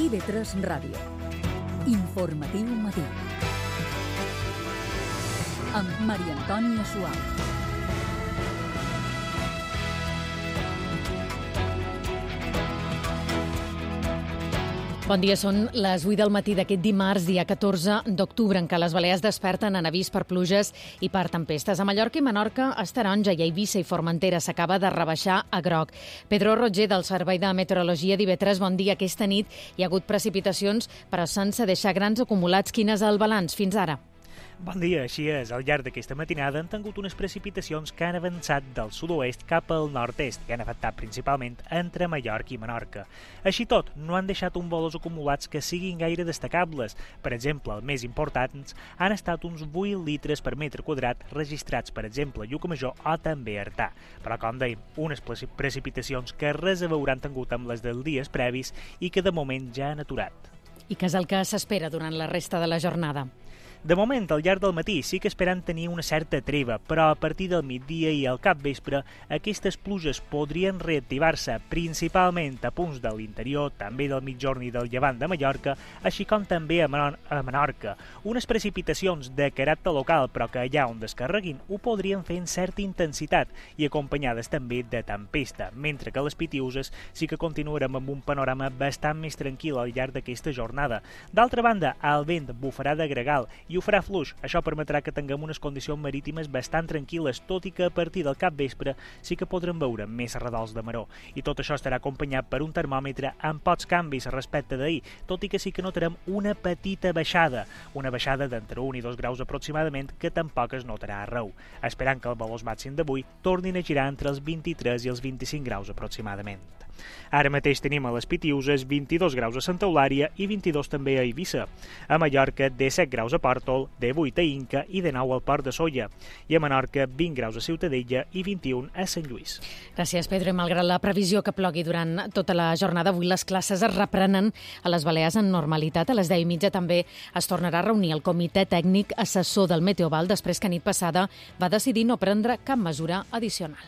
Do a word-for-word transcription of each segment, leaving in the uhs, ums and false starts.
I V tres Ràdio. Informatiu matí. Amb Maria Antònia Suau. Bon dia, són les vuit del matí d'aquest dimarts, dia catorze d'octubre, en què les Balears desperten en avís per pluges i per tempestes. A Mallorca i Menorca és taronja i a Eivissa i Formentera s'acaba de rebaixar a groc. Pedro Roger, del Servei de Meteorologia d'I V tres, bon dia. Aquesta nit hi ha hagut precipitacions, però sense deixar grans acumulats. Quin és el balanç fins ara? Bon dia, així és. Al llarg d'aquesta matinada han tingut unes precipitacions que han avançat del sud-oest cap al nord-est i han afectat principalment entre Mallorca i Menorca. Així tot, no han deixat un volums acumulats que siguin gaire destacables. Per exemple, els més importants han estat uns vuit litres per metre quadrat registrats, per exemple, a Llucmajor o també a Artà. Però, com dèiem, unes precipitacions que res a veure han tingut amb les dels dies previs i que de moment ja han aturat. I què és el que s'espera durant la resta de la jornada? De moment, al llarg del matí sí que esperen tenir una certa treva, però a partir del migdia i al capvespre aquestes pluges podrien reactivar-se principalment a punts de l'interior, també del migjorn i del llevant de Mallorca, així com també a, Menor a Menorca. Unes precipitacions de caràcter local, però que allà on descarreguin ho podrien fer en certa intensitat i acompanyades també de tempesta, mentre que les Pitiuses sí que continuarem amb un panorama bastant més tranquil al llarg d'aquesta jornada. D'altra banda, el vent bufarà de gregal i ho farà fluix. Això permetrà que tinguem unes condicions marítimes bastant tranquil·les, tot i que a partir del capvespre sí que podrem veure més redols de maró. I tot això estarà acompanyat per un termòmetre amb pocs canvis respecte d'ahir, tot i que sí que notarem una petita baixada, una baixada d'entre un i dos graus aproximadament, que tampoc es notarà arreu, esperant que els valors màxims d'avui tornin a girar entre els vint-i-tres i els vint-i-cinc graus aproximadament. Ara mateix tenim a les Pitiuses vint-i-dos graus a Santa Eulària i vint-i-dos també a Eivissa. A Mallorca, disset graus a Pòrtol, divuit a Inca i dinou al Port de Sóller. I a Menorca, vint graus a Ciutadella i vint-i-un a Sant Lluís. Gràcies, Pedro. I malgrat la previsió que plogui durant tota la jornada, avui les classes es reprenen a les Balears en normalitat. A les deu i mitja també es tornarà a reunir el comitè tècnic assessor del Meteoval després que nit passada va decidir no prendre cap mesura addicional.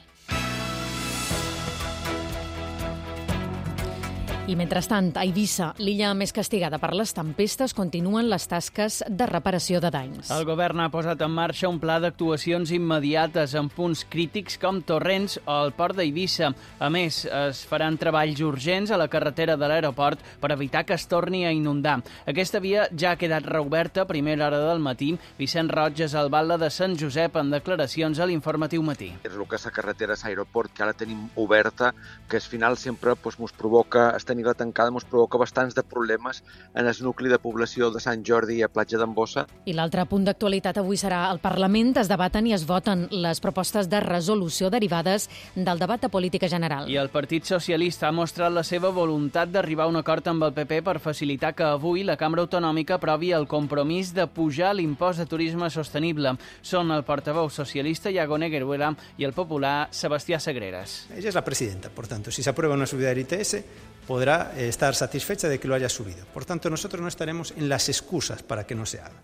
I mentrestant, a Eivissa, l'illa més castigada per les tempestes, continuen les tasques de reparació de danys. El govern ha posat en marxa un pla d'actuacions immediates en punts crítics com Torrents o el port d'Eivissa. A més, es faran treballs urgents a la carretera de l'aeroport per evitar que es torni a inundar. Aquesta via ja ha quedat reoberta a primera hora del matí. Vicent Roig és al batlle de Sant Josep en declaracions a l'Informatiu Matí. És el que és la carretera a l'aeroport, que ara tenim oberta, que al final sempre pues, mos provoca estar la tancada ens provoca bastants de problemes en el nucli de població de Sant Jordi i a Platja d'en Bossa. I l'altre punt d'actualitat avui serà al Parlament. Es debaten i es voten les propostes de resolució derivades del debat de política general. I el Partit Socialista ha mostrat la seva voluntat d'arribar a un acord amb el P P per facilitar que avui la Cambra Autonòmica aprovi el compromís de pujar l'impost de turisme sostenible. Són el portaveu socialista Iago Negueruela i el popular Sebastià Sagreras. Ella es la presidenta, por tanto, si se aprueba una subida del I T S, podrá estar satisfecha de que lo haya subido. Por tanto, nosotros no estaremos en las excusas para que no se haga.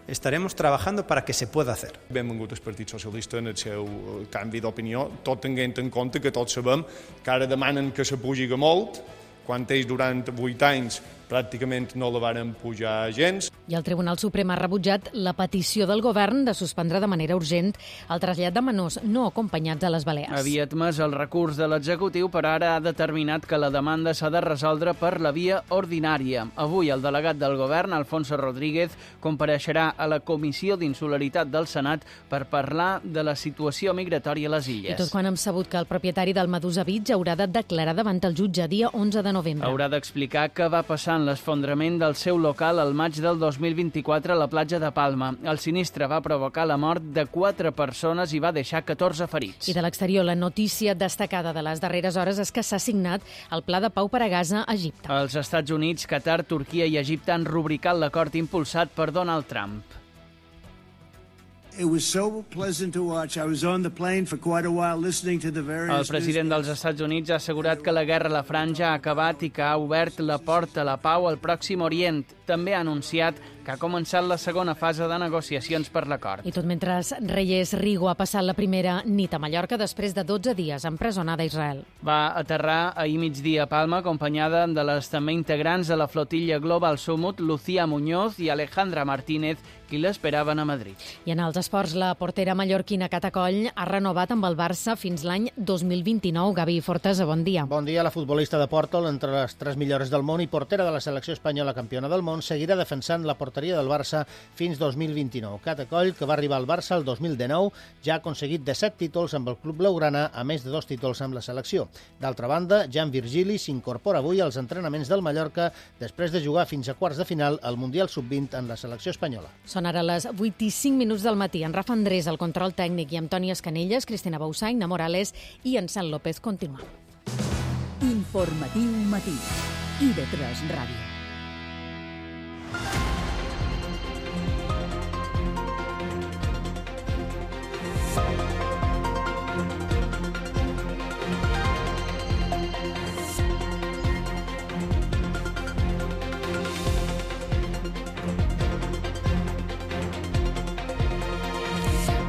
Estaremos trabajando para que se pueda hacer. Benvingut el Partit Socialista en el seu canvi d'opinió, tot tenint en compte que tots sabem que ara demanen que se pugi molt, quan ells durant vuit anys pràcticament no la varen pujar gens. I el Tribunal Suprem ha rebutjat la petició del govern de suspendre de manera urgent el trasllat de menors no acompanyats a les Balears. Havia admès el recurs de l'executiu, però ara ha determinat que la demanda s'ha de resoldre per la via ordinària. Avui el delegat del govern, Alfonso Rodríguez, compareixerà a la Comissió d'Insularitat del Senat per parlar de la situació migratòria a les illes. I tot quan hem sabut que el propietari del Medusa Beach haurà de declarar davant el jutge dia onze de novembre. Haurà d'explicar què va passar en l'esfondrament del seu local al maig del dos mil vint-i-quatre a la platja de Palma. El sinistre va provocar la mort de quatre persones i va deixar catorze ferits. I de l'exterior, la notícia destacada de les darreres hores és que s'ha signat el Pla de Pau per a Gaza a Egipte. Els Estats Units, Qatar, Turquia i Egipte han rubricat l'acord impulsat per Donald Trump. It was so pleasant to watch. I was on the plane for quite a while listening to the various... El president dels Estats Units ha assegurat que la guerra a la Franja ha acabat i que ha obert la porta a la pau al Pròxim Orient. També ha anunciat que ha començat la segona fase de negociacions per l'acord. I tot mentre Reyes Rigo ha passat la primera nit a Mallorca després de dotze dies empresonada a Israel. Va aterrar ahir migdia a Palma acompanyada de les també integrants de la flotilla Global Summit, Lucía Muñoz i Alejandra Martínez, qui l'esperaven a Madrid. I en els esports, la portera mallorquina Cata Coll ha renovat amb el Barça fins l'any dos mil vint-i-nou. Gavi Fortes, bon dia. Bon dia. La futbolista de Pòrtol, entre les tres millors del món i portera de la selecció espanyola campiona del món, seguirà defensant la porteria del Barça fins dos mil vint-i-nou. Cata Coll, que va arribar al Barça el dos mil dinou, ja ha aconseguit disset títols amb el club blaugrana, a més de dos títols amb la selecció. D'altra banda, Jan Virgili s'incorpora avui als entrenaments del Mallorca després de jugar fins a quarts de final al Mundial sub vint en la selecció espanyola. Són ara les vuit i cinc minuts del matí. En Rafa Andrés, el control tècnic, i amb Toni Escanelles, Cristina Bausà, Inna Morales i en Sant López. Continuem. Informatiu matí. I de tres Ràdio.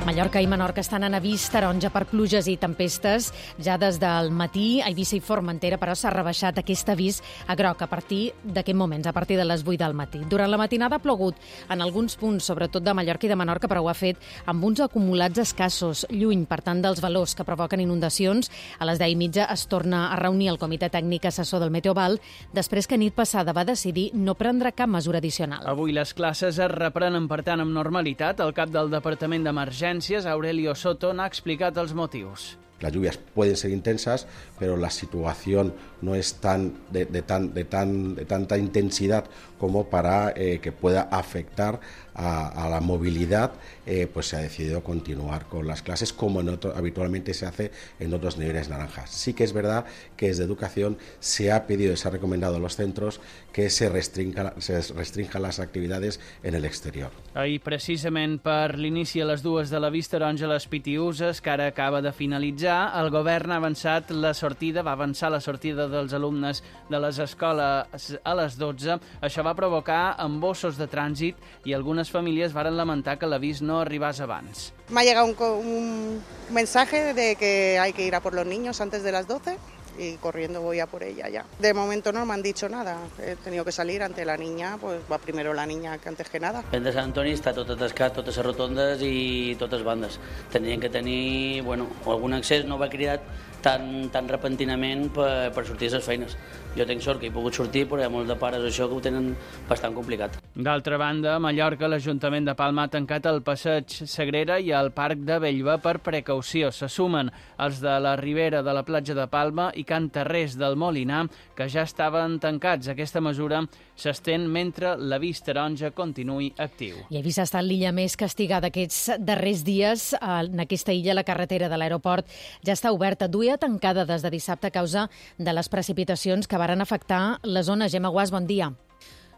Mallorca i Menorca estan en avís taronja per pluges i tempestes. Ja des del matí, a Eivissa i Formentera, però s'ha rebaixat aquest avís a groc a partir d'aquest moments, a partir de les vuit del matí. Durant la matinada ha plogut en alguns punts, sobretot de Mallorca i de Menorca, però ho ha fet amb uns acumulats escassos, lluny, per tant, dels valors que provoquen inundacions. A les deu i mitja es torna a reunir el Comitè Tècnic Assessor del Meteoval, després que nit passada va decidir no prendre cap mesura addicional. Avui les classes es reprenen, per tant, amb normalitat. El cap del Departament d'Emergències, Aurelio Soto, n'ha explicat els motius. Las lluvias pueden ser intensas, pero la situación no es tan de, de, tan, de, tan, de tanta intensidad como para eh, que pueda afectar a, a la movilidad. Eh, pues se ha decidido continuar con las clases como en otro, habitualmente se hace en otros niveles naranjas. Sí que es verdad que desde Educación se ha pedido y se ha recomendado a los centros que se restrinja, se restrinjan las actividades en el exterior. Ahir, precisament per l'inici a les dues de la Vista Taronja a les Pitiüses, que ara acaba de finalitzar, el govern ha avançat la sortida, va avançar la sortida dels alumnes de les escoles a les dotze. Això va provocar embossos de trànsit i algunes famílies varen lamentar que l'avís no arribés abans. Me ha llegado un, un mensaje de que hay que ir a por los niños antes de las doce y corriendo voy a por ella ya. De momento no me han dicho nada, he tenido que salir ante la niña, pues va primero la niña que antes que nada. El de Sant Antoni està tot atascat, totes les rotondes i totes bandes. Tendrien que tenir, bueno, algun accés, no va cridat tan, tan repentinament per, per sortir a les feines. Jo tinc sort que he pogut sortir, però hi ha molts de pares això que ho tenen bastant complicat. D'altra banda, a Mallorca, l'Ajuntament de Palma ha tancat el passeig Sagrera i el Parc de Bellva per precaució. Se sumen els de la Ribera de la platja de Palma i Can Tarrés del Molinar, que ja estaven tancats. Aquesta mesura s'estén mentre l'avís taronja continuï actiu. I Eivissa ha estat l'illa més castigada aquests darrers dies. En aquesta illa, la carretera de l'aeroport ja està oberta. Duia tancada des de dissabte a causa de les precipitacions que varen afectar la zona. Gemma Guas, bon dia.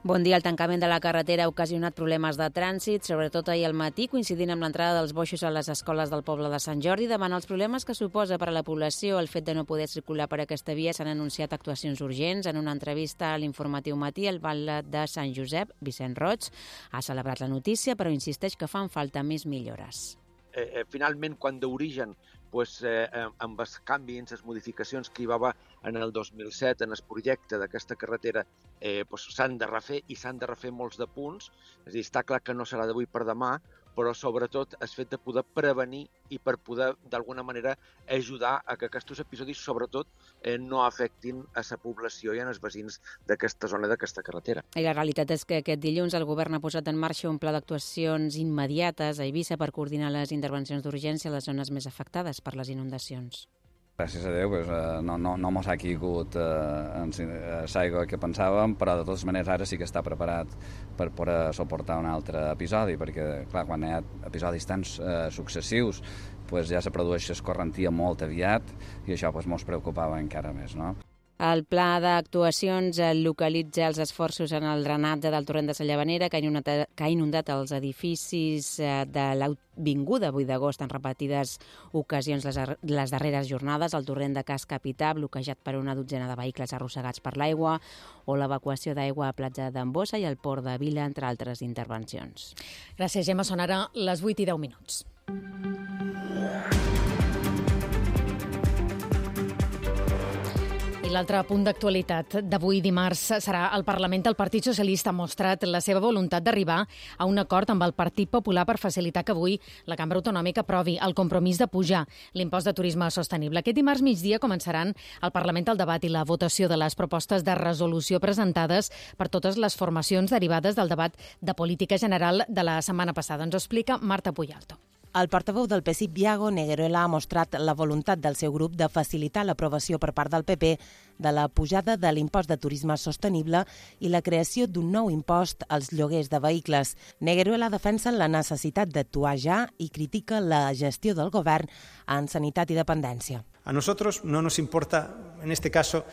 Bon dia. El tancament de la carretera ha ocasionat problemes de trànsit, sobretot ahir al matí, coincidint amb l'entrada dels boixos a les escoles del poble de Sant Jordi. Davant els problemes que suposa per a la població el fet de no poder circular per aquesta via, s'han anunciat actuacions urgents. En una entrevista a l'Informatiu Matí, el batlle de Sant Josep, Vicent Roig, ha celebrat la notícia, però insisteix que fan falta més millores. Eh, eh, finalment, quan d'origen pues, eh, amb els canvis, les modificacions que hi va haver en el dos mil set en el projecte d'aquesta carretera eh, pues, s'han de refer i s'han de refer molts de punts. És a dir, està clar que no serà d'avui per demà, però sobretot el fet de poder prevenir i per poder d'alguna manera ajudar a que aquests episodis sobretot eh, no afectin a la població i als veïns d'aquesta zona, d'aquesta carretera. I la realitat és que aquest dilluns el govern ha posat en marxa un pla d'actuacions immediates a Eivissa per coordinar les intervencions d'urgència a les zones més afectades per les inundacions. Gràcies a Déu, pues, eh, no, no, no mos ha caigut eh, en l'aigua que pensàvem, però de totes maneres ara sí que està preparat per poder suportar un altre episodi, perquè clar, quan hi ha episodis tan eh, successius pues, ja se produeix escorrentia molt aviat i això pues, mos preocupava encara més, no? El pla d'actuacions localitza els esforços en el drenatge del torrent de la Llavanera, que ha inundat, que ha inundat els edificis de l'Avinguda vuit d'agost en repetides ocasions les, les darreres jornades, el torrent de Cas Capità, bloquejat per una dotzena de vehicles arrossegats per l'aigua, o l'evacuació d'aigua a platja d'Ambossa i al port de Vila, entre altres intervencions. Gràcies, Gemma. Són ara les vuit i deu minuts. I l'altre punt d'actualitat d'avui dimarts serà al Parlament. El Partit Socialista ha mostrat la seva voluntat d'arribar a un acord amb el Partit Popular per facilitar que avui la Cambra Autonòmica aprovi el compromís de pujar l'impost de turisme sostenible. Aquest dimarts migdia començaran al Parlament el debat i la votació de les propostes de resolució presentades per totes les formacions derivades del debat de política general de la setmana passada. Ens ho explica Marta Puyalto. El portaveu del P S I, Biago Negueruela, ha mostrat la voluntat del seu grup de facilitar l'aprovació per part del P P de la pujada de l'impost de turisme sostenible i la creació d'un nou impost als lloguers de vehicles. Negueruela defensa la necessitat d'actuar ja i critica la gestió del govern en sanitat i dependència. A nosotros no nos importa, en este caso,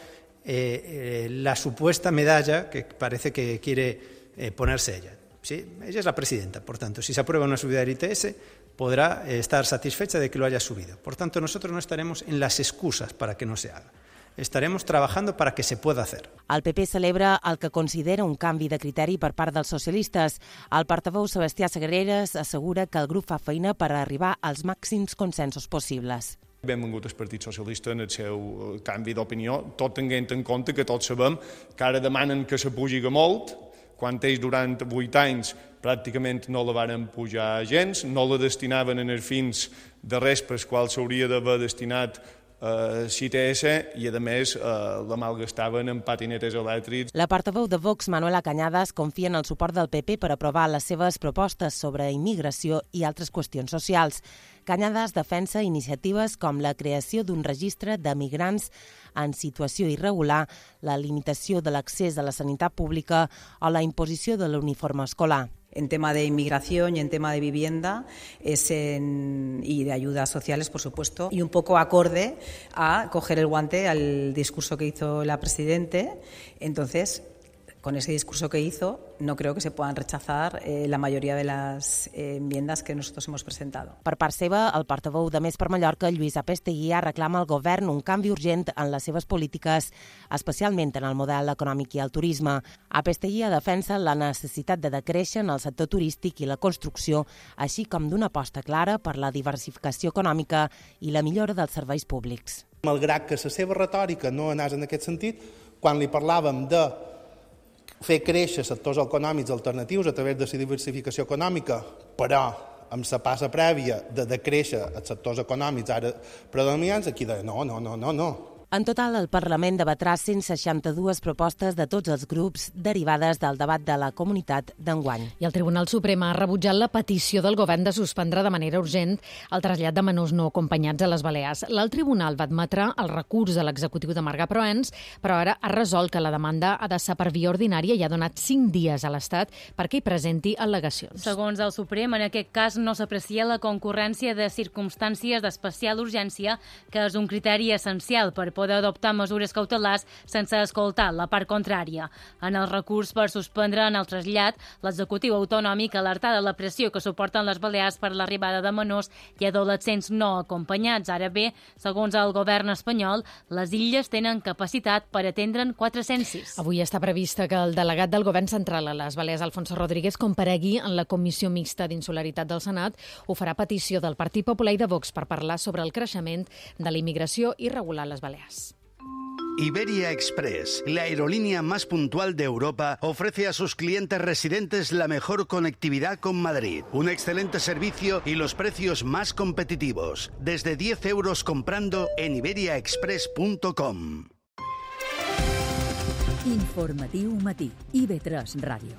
eh, eh, la supuesta medalla que parece que quiere eh, ponerse ella. ¿Sí? Ella es la presidenta, por tanto, si se aprueba una subida del I T S, podrá estar satisfecha de que lo haya subido. Por tanto, nosotros no estaremos en las excusas para que no se haga. Estaremos trabajando para que se pueda hacer. El P P celebra el que considera un canvi de criteri per part dels socialistes. El portaveu Sebastià Sagreras assegura que el grup fa feina per arribar als màxims consensos possibles. Benvingut el Partit Socialista en el seu canvi d'opinió, tot tenint en compte que tots sabem que ara demanen que se pugi molt, quan ells durant vuit anys pràcticament no la varen pujar gens, no la destinaven en els fins de res pels quals s'hauria d'haver destinat a l'I T S i, a més, la malgastaven en patinetes elèctrics. La portaveu de Vox, Manuela Cañadas, confia en el suport del P P per aprovar les seves propostes sobre immigració i altres qüestions socials. Cañadas defensa iniciatives com la creació d'un registre de migrants en situació irregular, la limitació de l'accés a la sanitat pública o la imposició de l'uniforme escolar. En tema de inmigración y en tema de vivienda es en, y de ayudas sociales, por supuesto, y un poco acorde a coger el guante al discurso que hizo la Presidente. Entonces, con ese discurso que hizo, no creo que se puedan rechazar eh, la mayoría de las eh, enmiendas que nosotros hemos presentado. Per part seva, el portaveu de Més per Mallorca, Lluís Apesteguía, reclama al govern un canvi urgent en les seves polítiques, especialment en el model econòmic i el turisme. Apesteguía defensa la necessitat de decréixer en el sector turístic i la construcció, així com d'una aposta clara per la diversificació econòmica i la millora dels serveis públics. Malgrat que la seva retòrica no anés en aquest sentit, quan li parlàvem de fer créixer sectors econòmics alternatius a través de la diversificació econòmica, però amb la passa prèvia de decréixer els sectors econòmics ara predominants, aquí deia no, no, no, no, no. En total, el Parlament debatrà cent seixanta-dues propostes de tots els grups derivades del debat de la comunitat d'enguany. I el Tribunal Suprem ha rebutjat la petició del govern de suspendre de manera urgent el trasllat de menors no acompanyats a les Balears. L'alt tribunal va admetre el recurs de l'executiu de Marga Proens, però ara ha resolt que la demanda ha de ser per via ordinària i ha donat cinc dies a l'Estat perquè hi presenti al·legacions. Segons el Suprem, en aquest cas no s'aprecia la concurrència de circumstàncies d'especial urgència, que és un criteri essencial per poder adoptar mesures cautelars sense escoltar la part contrària. En el recurs per suspendre en el trasllat, l'executiu autonòmic alerta de la pressió que suporten les Balears per l'arribada de menors i adolescents no acompanyats. Ara bé, segons el govern espanyol, les illes tenen capacitat per atendre'n quatre-cents sis. Avui està prevista que el delegat del govern central a les Balears, Alfonso Rodríguez, comparegui en la Comissió Mixta d'Insularitat del Senat. Ho farà a petició del Partit Popular i de Vox per parlar sobre el creixement de la immigració irregular a les Balears. Iberia Express, la aerolínea más puntual de Europa, ofrece a sus clientes residentes la mejor conectividad con Madrid, un excelente servicio y los precios más competitivos. Desde diez euros comprando en iberia express punto com. Informatiu matí, I B tres Ràdio.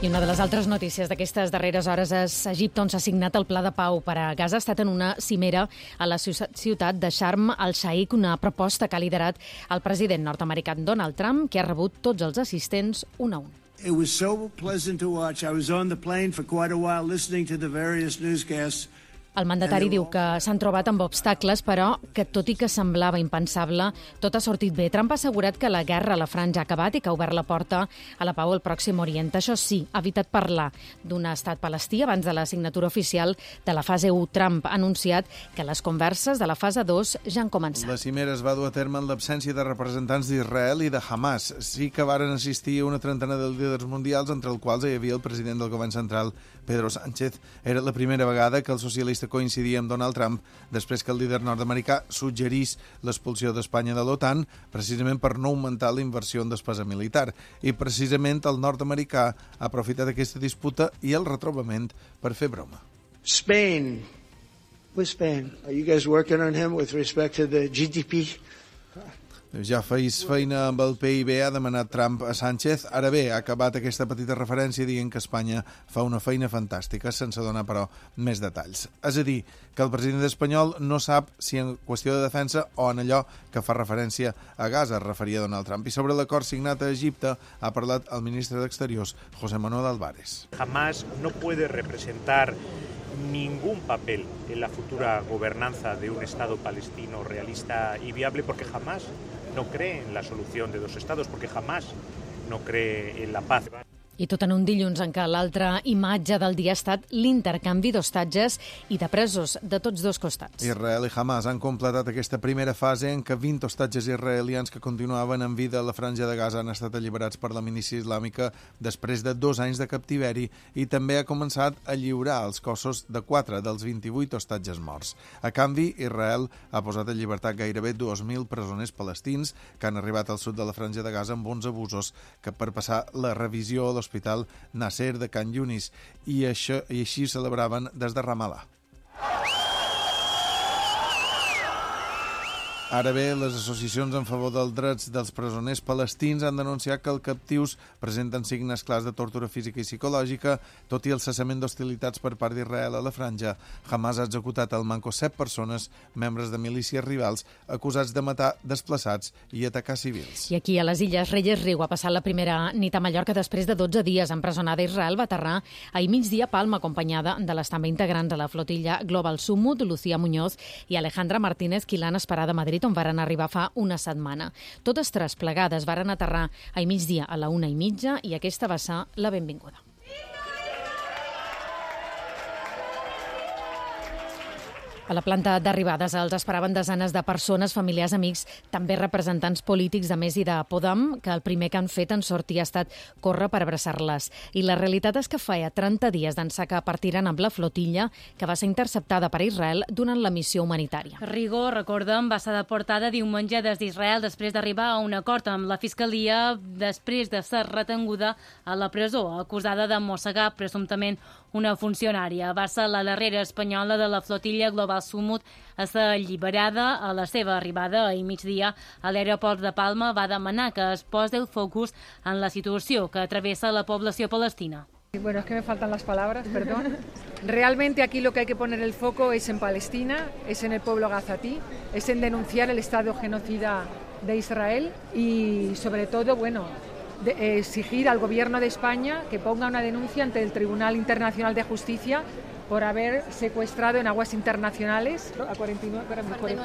I una de les altres notícies d'aquestes darreres hores és Egipte, on s'ha signat el Pla de Pau per a Gaza. Ha estat en una cimera a la ciutat de Sharm el-Sheikh, una proposta que ha liderat el president nord-americà Donald Trump, que ha rebut tots els assistents un a un. It was so pleasant to watch. I was on the plane for quite a while listening to the various newscasts. El mandatari diu que s'han trobat amb obstacles, però que tot i que semblava impensable, tot ha sortit bé. Trump ha assegurat que la guerra a la franja ha acabat i que ha obert la porta a la pau al Pròxim Orient. Això sí, ha evitat parlar d'un estat palestí abans de la signatura oficial de la fase u. Trump ha anunciat que les converses de la fase dos ja han començat. La cimera es va dur a terme en l'absència de representants d'Israel i de Hamas. Sí que varen assistir una trentena de líders mundials, entre els quals hi havia el president del govern central, Pedro Sánchez. Era la primera vegada que el socialista coincidia amb Donald Trump després que el líder nord-americà suggerís l'expulsió d'Espanya de l'OTAN precisament per no augmentar la inversió en despesa militar. I precisament el nord-americà ha aprofitat aquesta disputa i el retrobament per fer broma. Spain. With Spain. Are you guys working on him with respect to the G D P? Ja feis feina amb el P I B, ha demanat Trump a Sánchez. Ara bé, ha acabat aquesta petita referència dient que Espanya fa una feina fantàstica, sense donar, però, més detalls. És a dir, que el president espanyol no sap si en qüestió de defensa o en allò que fa referència a Gaza, es referia Donald Trump. I sobre l'acord signat a Egipte ha parlat el ministre d'Exteriors, José Manuel Álvarez. Jamás no puede representar ningún papel en la futura gobernanza de un Estado palestino realista y viable, porque jamás no cree en la solución de dos estados, porque jamás no cree en la paz. I tot en un dilluns en què l'altra imatge del dia ha estat l'intercanvi d'hostatges i de presos de tots dos costats. Israel i Hamas han completat aquesta primera fase en què vint hostatges israelians que continuaven en vida a la franja de Gaza han estat alliberats per la milícia islàmica després de dos anys de captiveri, i també ha començat a lliurar els cossos de quatre dels vint-i-vuit hostatges morts. A canvi, Israel ha posat en llibertat gairebé dos mil presoners palestins que han arribat al sud de la franja de Gaza amb bons abusos que per passar la revisió a l'Hospital Nasser de Can Yunis, i, això, i així celebraven des de Ramallah. Ara bé, les associacions en favor dels drets dels presoners palestins han denunciat que els captius presenten signes clars de tortura física i psicològica, tot i el cessament d'hostilitats per part d'Israel a la franja. Hamas ha executat al manco set persones, membres de milícies rivals, acusats de matar desplaçats i atacar civils. I aquí, a les Illes, Reyes Riu ha passat la primera nit a Mallorca després de dotze dies empresonada. Israel va aterrar ahir migdia a Palma, acompanyada de les també integrants de la flotilla Global Summut, Lucía Muñoz i Alejandra Martínez, qui l'han esperada a Madrid, on varen arribar fa una setmana. Totes tres plegades varen aterrar ahir migdia a la una i mitja i aquesta va ser la benvinguda. A la planta d'arribades els esperaven desenes de persones, familiars, amics, també representants polítics de Més i de Podem, que el primer que han fet en sortir ha estat córrer per abraçar-les. I la realitat és que feia trenta dies d'ençà que partiren amb la flotilla, que va ser interceptada per Israel durant la missió humanitària. Rigo, recordem, va ser deportada diumenge des d'Israel després d'arribar a un acord amb la Fiscalia després de ser retenguda a la presó, acusada de mossegar presumptament una funcionària. Va ser la darrera espanyola de la flotilla Global Summut a ser alliberada. A la seva arribada ahir migdia a l'aeroport de Palma va demanar que es posi el focus en la situació que travessa la població palestina. Bueno, es que me faltan las palabras, perdón. Realmente aquí lo que hay que poner el foco es en Palestina, es en el pueblo gazatí, es en denunciar el estado genocida de Israel y sobre todo, bueno, de exigir al gobierno de España que ponga una denuncia ante el Tribunal Internacional de Justicia por haber secuestrado en aguas internacionales a cuarenta y nueve,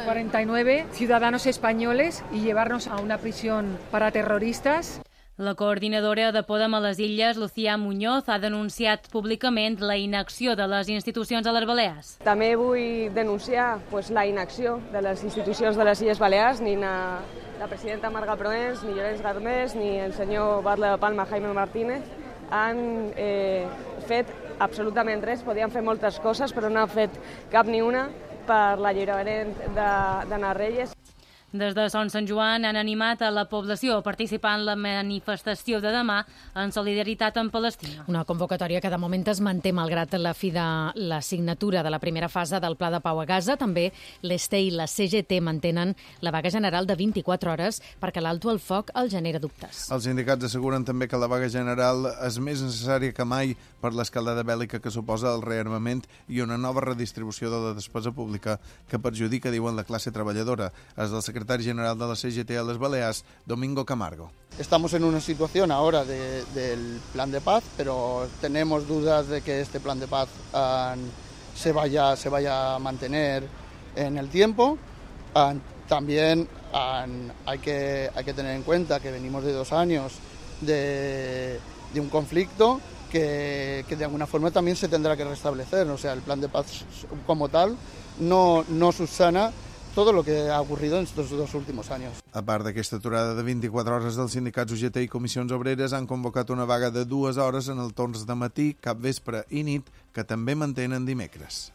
cuarenta y nueve ciudadanos españoles y llevarnos a una prisión para terroristas. La coordinadora de Podem a les Illes, Lucía Muñoz, ha denunciat públicament la inacció de les institucions a les Balears. També vull denunciar pues, la inacció de les institucions de les Illes Balears, ni na, la presidenta Marga Proens, ni Llorenç Garmés, ni el senyor Batlle de Palma, Jaime Martínez, han eh, fet absolutament res. Podien fer moltes coses, però no han fet cap ni una per l'alliberament d'Anna Reyes. Des de Son Sant Joan han animat a la població a participar en la manifestació de demà en solidaritat amb Palestina. Una convocatòria que de moment es manté malgrat la fi de la signatura de la primera fase del Pla de Pau a Gaza. També l'E S T E i la C G T mantenen la vaga general de vint-i-quatre hores perquè l'alto al foc els genera dubtes. Els sindicats asseguren també que la vaga general és més necessària que mai per l'escaldada bèl·lica que suposa el rearmament i una nova redistribució de la despesa pública que perjudica, diuen, la classe treballadora. És del secretari general de la C G T a les Balears, Domingo Camargo. Estamos en una situación ahora de, del plan de paz, pero tenemos dudas de que este plan de paz uh, se vaya, se vaya a mantener en el tiempo. Uh, también uh, hay, que, hay que tener en cuenta que venimos de dos años de, de un conflicto que, que de alguna forma también se tendrá que restablecer. O sea, el plan de paz como tal no, no subsana todo lo que ha ocurrido en estos dos últimos años. A part d'aquesta aturada de vint-i-quatre hores, dels sindicats U G T i comissions obreres han convocat una vaga de dues hores en el torns de matí, capvespre i nit, que també mantenen dimecres.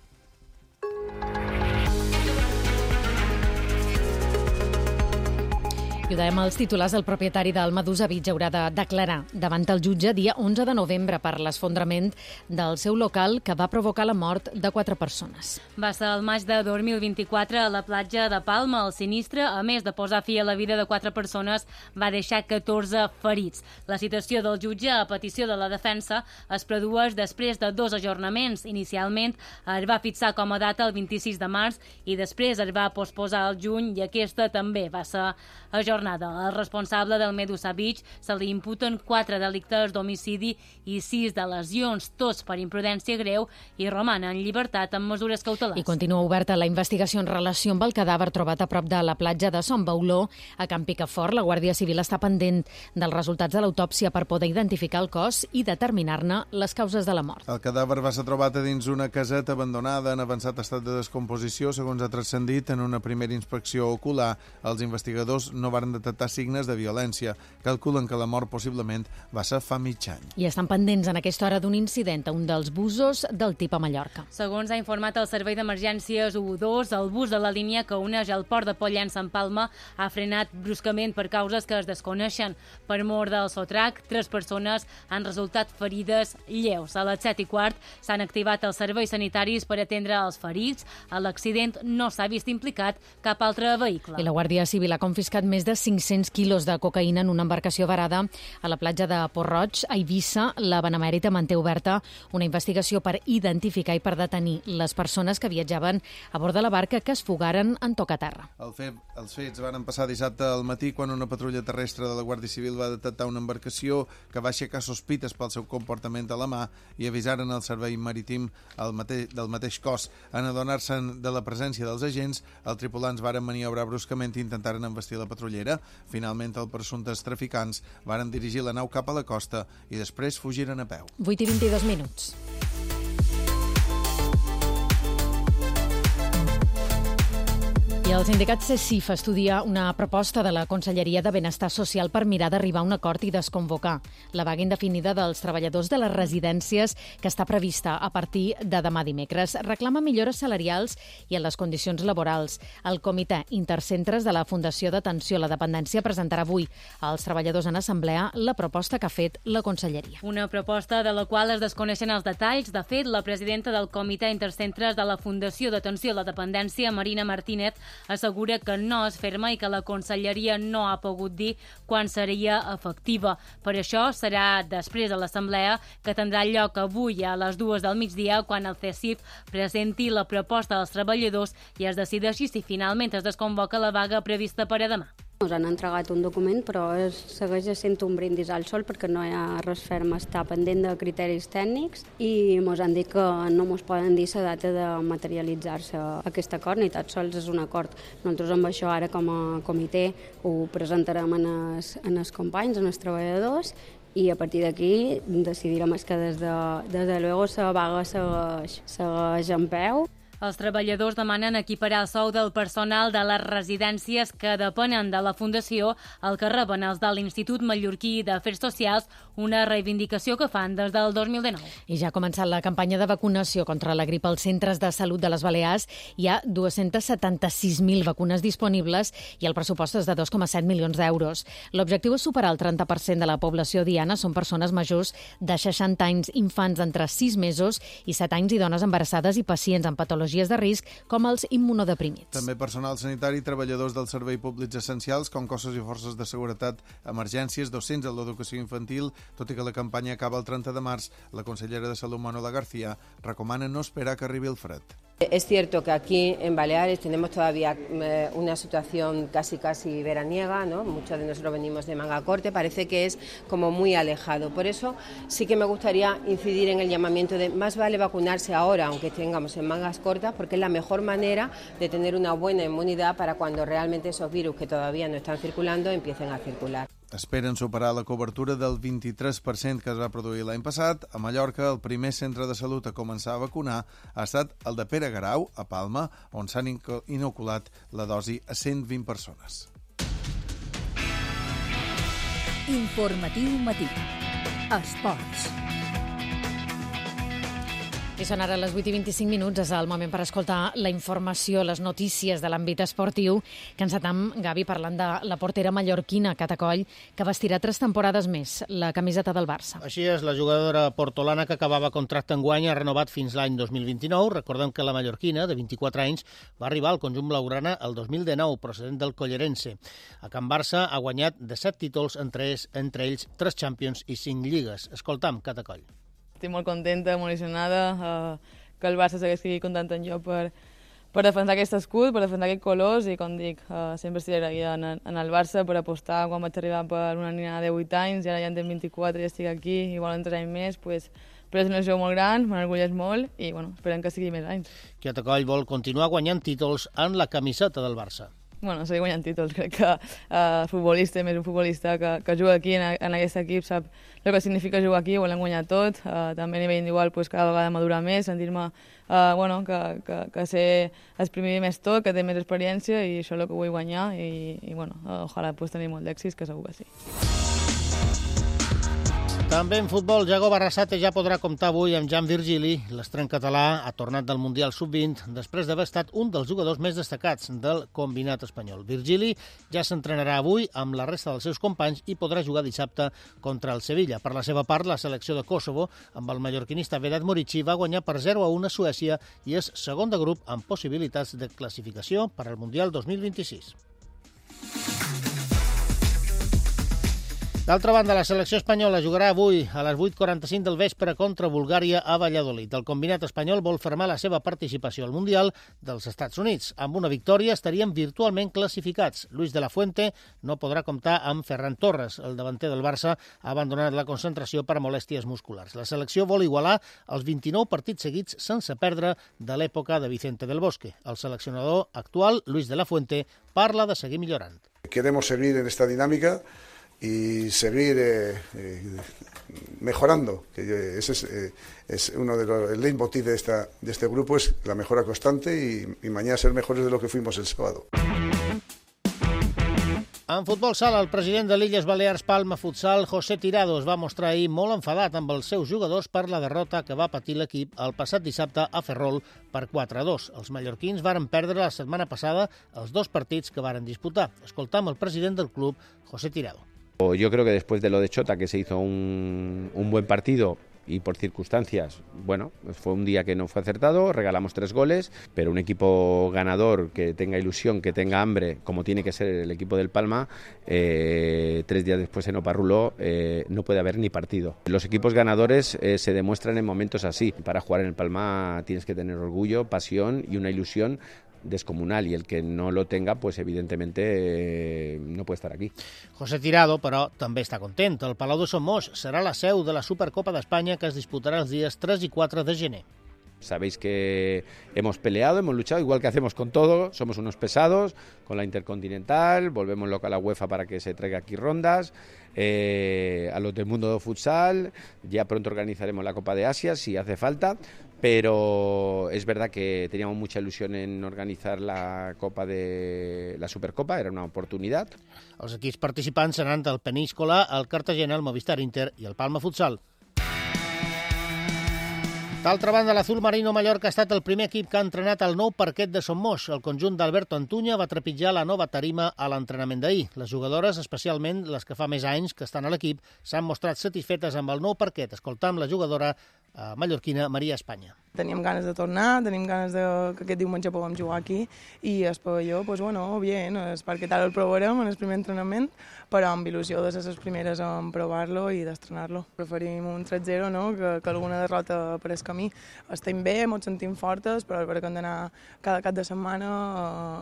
I ho dèiem als titulars, el propietari del Medusa Beach haurà de declarar davant el jutge dia onze de novembre per l'esfondrament del seu local que va provocar la mort de quatre persones. Va ser el maig de dos mil vint-i-quatre a la platja de Palma. El sinistre, a més de posar fi a la vida de quatre persones, va deixar catorze ferits. La citació del jutge a petició de la defensa es produeix després de dos ajornaments. Inicialment es va fixar com a data el vint-i-sis de març i després es va posposar al juny i aquesta també va ser ajornada. Al responsable del Medusa Beach se li imputen quatre delictes d'homicidi i sis de lesions, tots per imprudència greu, i roman en llibertat amb mesures cautelars. I continua oberta la investigació en relació amb el cadàver trobat a prop de la platja de Son Bauló, a Can Picafort. La Guàrdia Civil està pendent dels resultats de l'autòpsia per poder identificar el cos i determinar-ne les causes de la mort. El cadàver va ser trobat a dins una caseta abandonada en avançat estat de descomposició, segons ha transcendit en una primera inspecció ocular. Els investigadors no van detectar signes de violència. Calculen que la mort possiblement va ser fa mig any. I estan pendents en aquesta hora d'un incident a un dels busos del Tip a Mallorca. Segons ha informat el Servei d'Emergències u dos, el bus de la línia que uneix el port de Pollença en Palma ha frenat bruscament per causes que es desconeixen. Per mort del sotrac, tres persones han resultat ferides lleus. A les set i quart s'han activat els serveis sanitaris per atendre els ferits. A l'accident no s'ha vist implicat cap altre vehicle. I la Guàrdia Civil ha confiscat més de cinc-cents quilos de cocaïna en una embarcació varada a la platja de Port-roig, a Eivissa. La Benemèrita manté oberta una investigació per identificar i per detenir les persones que viatjaven a bord de la barca que es fugaren en tocaterra. El fet, els fets van passar dissabte al matí quan una patrulla terrestre de la Guàrdia Civil va detectar una embarcació que va aixecar sospites pel seu comportament a la mà i avisaren el servei marítim el mate, del mateix cos. En adonar-se de la presència dels agents, els tripulants varen maniobrar bruscament i intentaren embestir la patrullera. Finalment, els presumptes traficants varen dirigir la nau cap a la costa i després fugiren a peu. vuit i vint-i-dos minuts. I el sindicat CECIF estudia una proposta de la Conselleria de Benestar Social per mirar d'arribar a un acord i desconvocar la vaga indefinida dels treballadors de les residències que està prevista a partir de demà dimecres. Reclama millores salarials i en les condicions laborals. El Comitè Intercentres de la Fundació d'Atenció a la Dependència presentarà avui als treballadors en assemblea la proposta que ha fet la Conselleria. Una proposta de la qual es desconeixen els detalls. De fet, la presidenta del Comitè Intercentres de la Fundació d'Atenció a la Dependència, Marina Martínez, assegura que no es ferma i que la Conselleria no ha pogut dir quan seria efectiva. Per això serà després de l'assemblea que tindrà lloc avui a les dues del migdia quan el CECIF presenti la proposta dels treballadors i es decideixi si finalment es desconvoca la vaga prevista per a demà. Ens han entregat un document, però es segueix sent un brindis al sol perquè no hi ha res ferm, està pendent de criteris tècnics i ens han dit que no ens poden dir la data de materialitzar-se aquest acord, ni tan sols és un acord. Nosaltres amb això ara com a comitè ho presentarem en els, en els companys, en els treballadors, i a partir d'aquí decidirem que des de, des de luego la vaga segueix, segueix en peu. Els treballadors demanen equiparar el sou del personal de les residències que depenen de la Fundació al que reben els de l'Institut Mallorquí d'Afers Socials, una reivindicació que fan des del dos mil dinou. I ja ha començat la campanya de vacunació contra la grip als centres de salut de les Balears. Hi ha dos-cents setanta-sis mil vacunes disponibles i el pressupost és de dos coma set milions d'euros. L'objectiu és superar el trenta per cent de la població diana. Són persones majors de seixanta anys, infants d'entre sis mesos i set anys i dones embarassades i pacients amb patologies patologies de risc, com els immunodeprimits. També personal sanitari i treballadors dels serveis públics essencials, com cossos i forces de seguretat, emergències, docents en l'educació infantil. Tot i que la campanya acaba el trenta de març, la consellera de Salut, Manuela García, recomana no esperar que arribi el fred. Es cierto que aquí en Baleares tenemos todavía eh, una situación casi casi veraniega, ¿no? Muchos de nosotros venimos de manga corta, parece que es como muy alejado. Por eso sí que me gustaría incidir en el llamamiento de más vale vacunarse ahora, aunque tengamos en mangas cortas, porque es la mejor manera de tener una buena inmunidad para cuando realmente esos virus que todavía no están circulando empiecen a circular. Esperen superar la cobertura del vint-i-tres per cent que es va produir l'any passat. A Mallorca, el primer centre de salut a començar a vacunar ha estat el de Pere Garau, a Palma, on s'han inoculat la dosi a cent vint persones. Informatiu matí. Esports. I són ara les vuit i vint-i-cinc minuts, és el moment per escoltar la informació, les notícies de l'àmbit esportiu, que encetam, Gavi, parlant de la portera mallorquina, Cata Coll, que vestirà tres temporades més la camiseta del Barça. Així és, la jugadora portolana que acabava contracte enguany ha renovat fins l'any dos mil vint-i-nou. Recordem que la mallorquina, de vint-i-quatre anys, va arribar al conjunt blaugrana el dos mil dinou, procedent del Collerense. A Can Barça ha guanyat disset títols, entre ells, entre ells tres Champions i cinc lligues. Escoltam, Cata Coll. Estic molt contenta, molt il·lusionada, eh, que el Barça segueixi comptant en jo per, per defensar aquest escut, per defensar aquests colors i, com dic, eh, sempre estic agraïda en, en el Barça per apostar quan vaig arribar per una nina de vuit anys i ara ja en tinc vint-i-quatre i estic aquí i volen tres anys més, pues, però és una il·lusió molt gran, m'enorgulleix molt i bueno, esperem que sigui més anys. Cata Coll vol continuar guanyant títols en la camiseta del Barça. Bueno, seguir guanyant títols. Crec que uh, futbolista, més un futbolista que, que juga aquí en, en aquest equip, sap el que significa jugar aquí, volem guanyar tot. Uh, també a nivell individual, pues, cada vegada madurar més, sentir-me uh, bueno, que, que, que sé exprimir més tot, que té més experiència i això és el que vull guanyar i, i bueno, uh, ojalà pues, tenir molt d'èxits, que segur que sí. També en futbol, Jago Barrasate ja podrà comptar avui amb Jan Virgili. L'estrany català ha tornat del Mundial sub vint després d'haver estat un dels jugadors més destacats del combinat espanyol. Virgili ja s'entrenarà avui amb la resta dels seus companys i podrà jugar dissabte contra el Sevilla. Per la seva part, la selecció de Kosovo, amb el mallorquinista Vedat Murici, va guanyar per zero a u a Suècia i és segon de grup amb possibilitats de classificació per al Mundial dos mil vint-i-sis. D'altra banda, la selecció espanyola jugarà avui a les vuit quaranta-cinc del vespre contra Bulgària a Valladolid. El combinat espanyol vol fermar la seva participació al Mundial dels Estats Units. Amb una victòria estarien virtualment classificats. Luis de la Fuente no podrà comptar amb Ferran Torres. El davanter del Barça ha abandonat la concentració per molèsties musculars. La selecció vol igualar els vint-i-nou partits seguits sense perdre de l'època de Vicente del Bosque. El seleccionador actual, Luis de la Fuente, parla de seguir millorant. Queremos seguir en esta dinámica y seguir eh, eh, mejorando. Que ese es, eh, es uno de los el leitmotiv de, esta, de este grupo, es la mejora constante y, y mañana ser mejores de lo que fuimos el sábado. En futbol sala, el president de l'Illes Balears Palma Futsal, José Tirado, es va mostrar ahir molt enfadat amb els seus jugadors per la derrota que va patir l'equip el passat dissabte a Ferrol per quatre a dos. Els mallorquins varen perdre la setmana passada els dos partits que varen disputar. Escoltam el president del club, José Tirado. Yo creo que después de lo de Chota, que se hizo un, un buen partido y por circunstancias, bueno, fue un día que no fue acertado, regalamos tres goles, pero un equipo ganador que tenga ilusión, que tenga hambre, como tiene que ser el equipo del Palma, eh, tres días después en Oparrulo eh, no puede haber ni partido. Los equipos ganadores eh, se demuestran en momentos así. Para jugar en el Palma tienes que tener orgullo, pasión y una ilusión descomunal, y el que no lo tenga, pues evidentemente eh, no puede estar aquí. José Tirado, però, també està content. El Palau de Somos serà la seu de la Supercopa d'Espanya que es disputarà els dies tres i quatre de gener. Sabéis que hemos peleado, hemos luchado, igual que hacemos con todo, somos unos pesados, con la Intercontinental, volvemos loca a la UEFA para que se traiga aquí rondas, eh, a los del mundo de futsal, ya pronto organizaremos la Copa de Asia si hace falta, pero es verdad que teníamos mucha ilusión en organizar la Copa de la Supercopa, era una oportunidad. Els equips participants seran del Peníscola, el Cartagena, el Movistar Inter i el Palma Futsal. D'altra banda, l'Azul Marino Mallorca ha estat el primer equip que ha entrenat el nou parquet de Somos. El conjunt d'Alberto Antuña va trepitjar la nova tarima a l'entrenament d'ahir. Les jugadores, especialment les que fa més anys que estan a l'equip, s'han mostrat satisfetes amb el nou parquet. Escoltam la jugadora eh, mallorquina Maria Espanya. Teníem ganes de tornar, tenim ganes de que aquest diumenge puguem jugar aquí i el pavelló, pues bueno, bien, és perquè tal el provarem en el primer entrenament, però amb il·lusió de ser les primeres en provar-lo i d'estrenar-lo. Preferim un tres zero, no?, que, que alguna derrota per el camí. Estem bé, ens sentim fortes, però perquè hem d'anar cada cap de setmana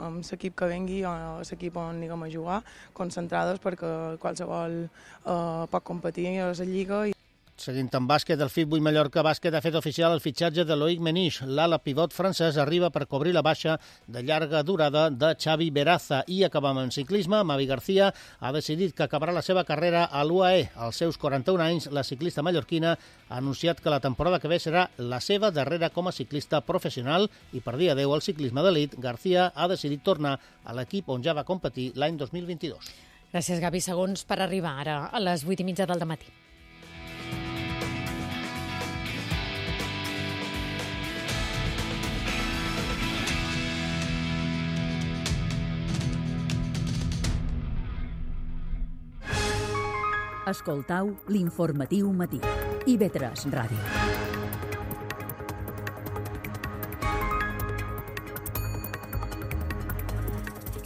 amb l'equip que vengui o l'equip on anem a jugar, concentrades perquè qualsevol eh, pot competir a la Lliga. I... Seguint amb bàsquet, el F I B vuit Mallorca Bàsquet ha fet oficial el fitxatge de Loïc Menich. L'ala pivot francès arriba per cobrir la baixa de llarga durada de Xavi Beraza. I acabam en ciclisme. Mavi García ha decidit que acabarà la seva carrera a l'U A E. Als seus quaranta-un anys, la ciclista mallorquina ha anunciat que la temporada que ve serà la seva darrera com a ciclista professional i per dir adeu al ciclisme d'elit, García ha decidit tornar a l'equip on ja va competir l'any dos mil vint-i-dos. Gràcies, Gavi. Segons per arribar ara a les vuit i mitja del dematí. Escoltau l'informatiu matí. I V tres Ràdio.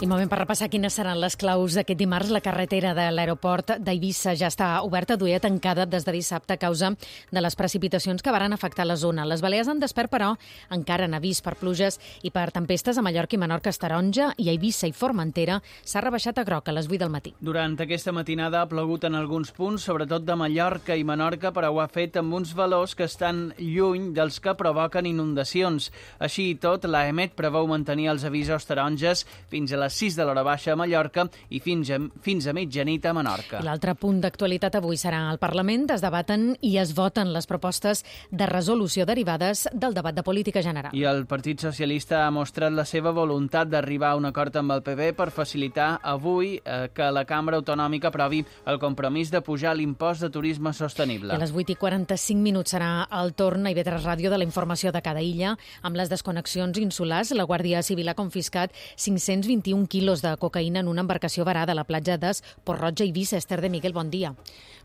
I moment per repassar quines seran les claus d'aquest dimarts. La carretera de l'aeroport d'Eivissa ja està oberta, duia tancada des de dissabte a causa de les precipitacions que varen afectar la zona. Les Balears han despert, però, encara han avís per pluges i per tempestes a Mallorca i Menorca és taronja i a Eivissa i Formentera s'ha rebaixat a groc a les vuit del matí. Durant aquesta matinada ha plogut en alguns punts, sobretot de Mallorca i Menorca, però ho ha fet amb uns valors que estan lluny dels que provoquen inundacions. Així i tot, l'AEMET preveu mantenir els avisos taronges fins a les sis de l'hora baixa a Mallorca i fins a, fins a mitjanit a Menorca. I l'altre punt d'actualitat avui serà al Parlament. Es debaten i es voten les propostes de resolució derivades del debat de política general. I el Partit Socialista ha mostrat la seva voluntat d'arribar a un acord amb el P B per facilitar avui eh, que la Cambra Autonòmica aprovi el compromís de pujar l'impost de turisme sostenible. I a les vuit i quaranta-cinc minuts serà el torn a I V tres Ràdio de la informació de cada illa. Amb les desconnexions insulars, la Guàrdia Civil ha confiscat cinc-cents vint-i-un quilos de cocaïna en una embarcació varada a la platja d'Es, Port-roig i Eivissa. Esther de Miguel, bon dia.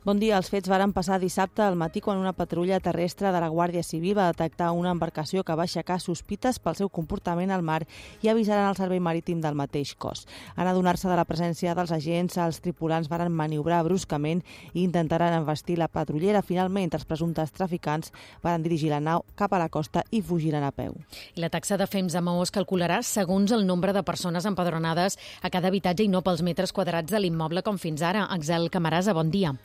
Bon dia. Els fets varen passar dissabte al matí quan una patrulla terrestre de la Guàrdia Civil va detectar una embarcació que va aixecar sospites pel seu comportament al mar i avisaren el servei marítim del mateix cos. En adonar-se de la presència dels agents, els tripulants varen maniobrar bruscament i intentaren envestir la patrullera. Finalment, els presumptes traficants varen dirigir la nau cap a la costa i fugiren a peu. I la taxa de Fems a Maó es calcularà segons el nombre de persones empadronades a cada habitatge i no pels metres quadrats de l'immoble com fins ara. Axel Camarasa, bon dia.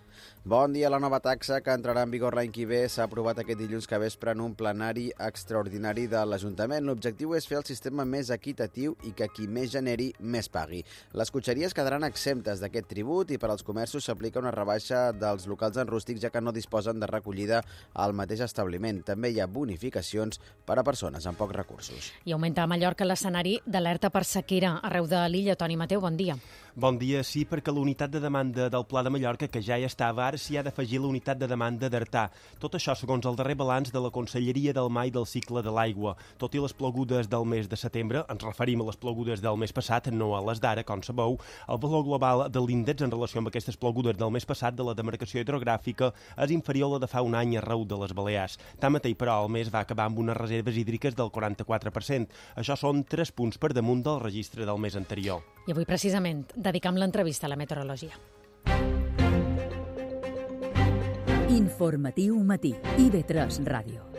Bon dia. La nova taxa, que entrarà en vigor l'any que ve, s'ha aprovat aquest dilluns que vespre en un plenari extraordinari de l'Ajuntament. L'objectiu és fer el sistema més equitatiu i que qui més generi, més pagui. Les cotxeries quedaran exemptes d'aquest tribut i per als comerços s'aplica una rebaixa dels locals en rústics, ja que no disposen de recollida al mateix establiment. També hi ha bonificacions per a persones amb pocs recursos. I augmenta a Mallorca l'escenari d'alerta per sequera arreu de l'illa. Toni Mateu, bon dia. Bon dia, sí, perquè la unitat de demanda del Pla de Mallorca, que ja hi estava, ara s'hi ha d'afegir la unitat de demanda d'Artà. Tot això segons el darrer balanç de la Conselleria del Mar i del Cicle de l'Aigua. Tot i les plogudes del mes de setembre, ens referim a les plogudes del mes passat, no a les d'ara, com sabeu, el valor global de l'índex en relació amb aquestes plogudes del mes passat de la demarcació hidrogràfica és inferior a la de fa un any arreu de les Balears. Tanmateix, però, el mes va acabar amb unes reserves hídriques del quaranta-quatre per cent. Això són tres punts per damunt del registre del mes anterior. I avui, precisament, dedicam l'entrevista a la meteorologia. Informatiu matí. I V tres Ràdio.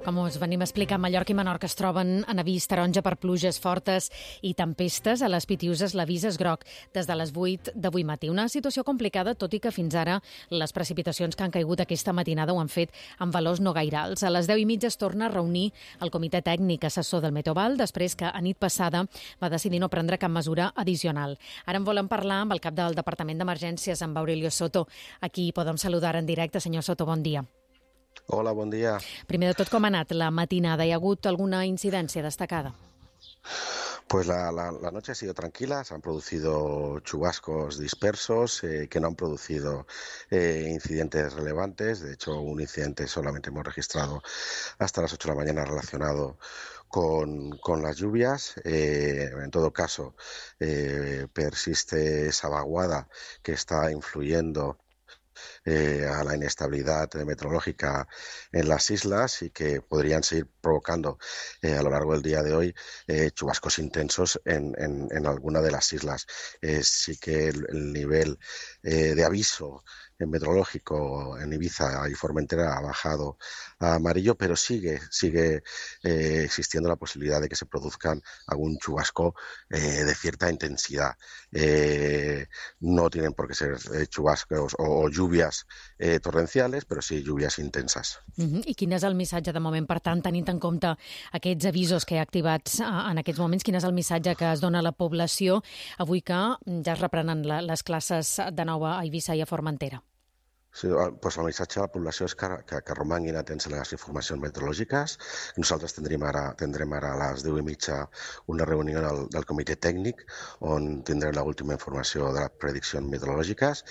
Com us venim a explicar, Mallorca i Menorca es troben en avís taronja per pluges fortes i tempestes. A les Pitiuses l'avís és groc des de les vuit d'avui matí. Una situació complicada, tot i que fins ara les precipitacions que han caigut aquesta matinada ho han fet amb valors no gaire alts. A les deu i mitja es torna a reunir el comitè tècnic assessor del Meteoval després que a nit passada va decidir no prendre cap mesura addicional. Ara en volem parlar amb el cap del Departament d'Emergències, amb Aurelio Soto. Aquí podem saludar en directe. Senyor Soto, bon dia. Hola, bon dia. Primer de tot, com ha anat la matinada? Hi ha hagut alguna incidència destacada? Pues la, la, la noche ha sido tranquila, se han producido chubascos dispersos eh, que no han producido eh, incidentes relevantes. De hecho, un incidente solamente hemos registrado hasta las ocho de la mañana relacionado con, con las lluvias. Eh, en todo caso, eh, persiste esa vaguada que está influyendo eh, a la inestabilidad meteorológica en las islas y que podrían seguir provocando eh, a lo largo del día de hoy eh, chubascos intensos en, en, en alguna de las islas. Eh, sí que el, el nivel eh, de aviso meteorológico en Ibiza y Formentera ha bajado a amarillo, pero sigue, sigue eh, existiendo la posibilidad de que se produzcan algún chubasco eh, de cierta intensidad. Eh, no tienen por qué ser eh, chubascos o, o lluvias eh, torrenciales, però sí lluvias intensas. Uh-huh. I quin és el missatge de moment, per tant, tenint en compte aquests avisos que hi ha activats en aquests moments, quin és el missatge que es dona a la població avui que ja es reprenen les classes de nou a Eivissa i a Formentera? Sí, pues el missatge a la població és que, que, que romanguin atents a les informacions meteorològiques. Nosaltres tindrem ara, tindrem ara a les deu i mitja una reunió del, del comitè tècnic on tindrem l'última informació de les prediccions meteorològiques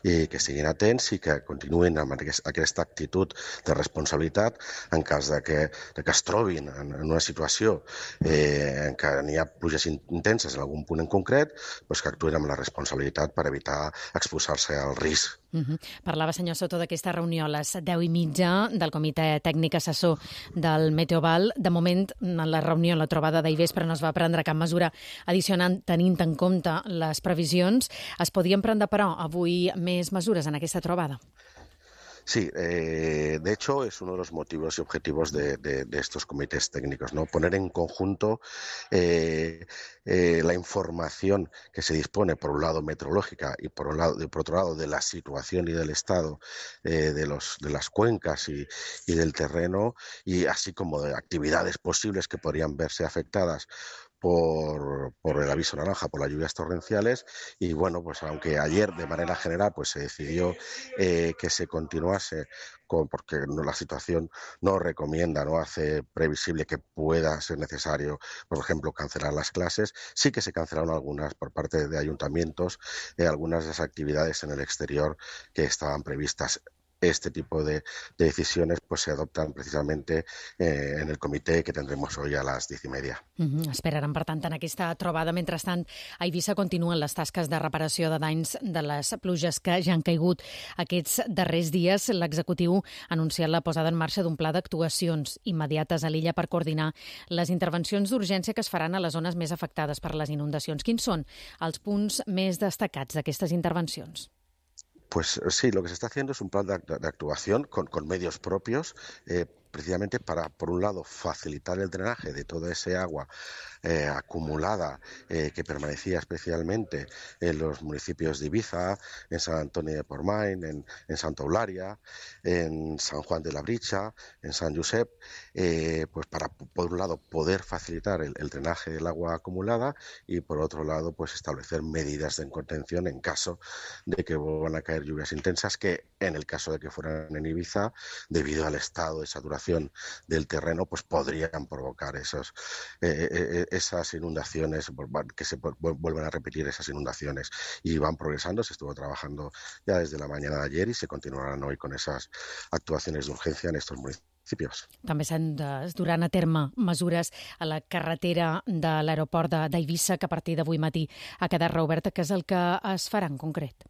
i que siguin atents i que continuïn amb aquest, aquesta actitud de responsabilitat en cas de que, de que es trobin en, en una situació eh, en què n'hi ha pluges intenses en algun punt en concret, pues que actuïn amb la responsabilitat per evitar exposar-se al risc. Uh-huh. Parlava, senyor Soto, d'aquesta reunió a les deu i mitja del Comitè Tècnic Assessor del Meteoval. De moment, en la reunió, en la trobada d'Ivespre, no es va prendre cap mesura addicional tenint en compte les previsions. Es podien prendre, però, avui més mesures en aquesta trobada? Sí, eh, de hecho es uno de los motivos y objetivos de, de, de estos comités técnicos, ¿no? Poner en conjunto eh, eh, la información que se dispone, por un lado meteorológica y por, un lado, y por otro lado de la situación y del estado eh, de, los, de las cuencas y, y del terreno, y así como de actividades posibles que podrían verse afectadas Por, por el aviso naranja, por las lluvias torrenciales. Y bueno, pues aunque ayer de manera general pues se decidió eh, que se continuase con, porque no, la situación no recomienda, no hace previsible que pueda ser necesario, por ejemplo, cancelar las clases, sí que se cancelaron algunas por parte de ayuntamientos, eh, algunas de las actividades en el exterior que estaban previstas. Este tipo de, de decisiones pues se adoptan precisamente eh, en el comitè que tendremos hoy a les diez i media. Uh-huh. Esperaran, per tant, en aquesta trobada. Mentrestant, a Eivissa continuen les tasques de reparació de danys de les pluges que ja han caigut aquests darrers dies. L'executiu ha anunciat la posada en marxa d'un pla d'actuacions immediates a l'illa per coordinar les intervencions d'urgència que es faran a les zones més afectades per les inundacions. Quins són els punts més destacats d'aquestes intervencions? Pues sí, lo que se está haciendo es un plan de, de actuación con, con medios propios, eh, precisamente para, por un lado, facilitar el drenaje de toda ese agua eh, acumulada eh, que permanecía especialmente en los municipios de Ibiza, en San Antonio de Portmany, en, en Santa Eulalia, en San Juan de la Bricha, en San Josep, eh, pues para, por un lado, poder facilitar el, el drenaje del agua acumulada y, por otro lado, pues establecer medidas de contención en caso de que vuelvan a caer lluvias intensas que, en el caso de que fueran en Ibiza, debido al estado de saturación del terreno, pues podrían provocar esos, eh, eh, esas inundaciones, que se vuelvan a repetir esas inundaciones. Y van progresando, se estuvo trabajando ya desde la mañana de ayer y se continuarán hoy con esas actuaciones de urgencia en estos municipios. També s'han es duran a terme mesures a la carretera de l'aeroport d'Eivissa, que a partir d'avui matí ha quedat reoberta. Què és el que es farà en concret?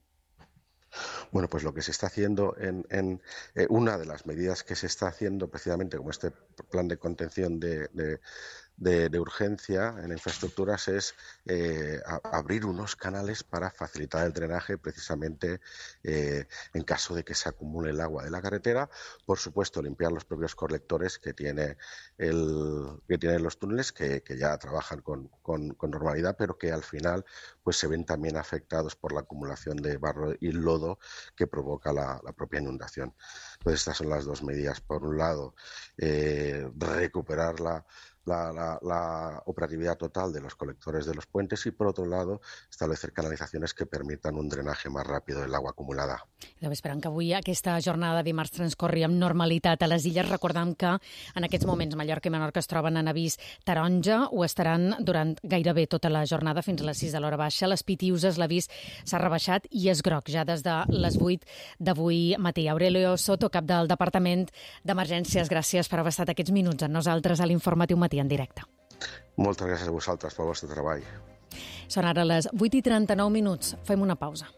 Bueno, pues lo que se está haciendo en, en eh, una de las medidas que se está haciendo precisamente como este plan de contención de, de, de, de urgencia en infraestructuras es eh, a, abrir unos canales para facilitar el drenaje precisamente eh, en caso de que se acumule el agua de la carretera. Por supuesto, limpiar los propios colectores que tiene el que tienen los túneles que, que ya trabajan con, con, con normalidad, pero que al final pues se ven también afectados por la acumulación de barro y lodo que provoca la, la propia inundación. Entonces estas son las dos medidas. Por un lado, eh, recuperar la La, la, la operatividad total de los colectores de los puentes y, por otro lado, establecer canalizaciones que permitan un drenaje más rápido del agua acumulada. Deu esperant que avui aquesta jornada de dimarts transcorri amb normalitat a les illes. Recordem que en aquests moments Mallorca i Menorca es troben en avís taronja, ho estaran durant gairebé tota la jornada fins a les sis de l'hora baixa. Les Pitiuses, l'avís s'ha rebaixat i és groc ja des de les vuit d'avui matí. Aurelio Soto, cap del Departament d'Emergències, gràcies per haver estat aquests minuts amb nosaltres a l'Informatiu Matí en directe. Moltes gràcies a vosaltres pel vostre treball. Són ara les vuit i trenta-nou minuts. Fem una pausa.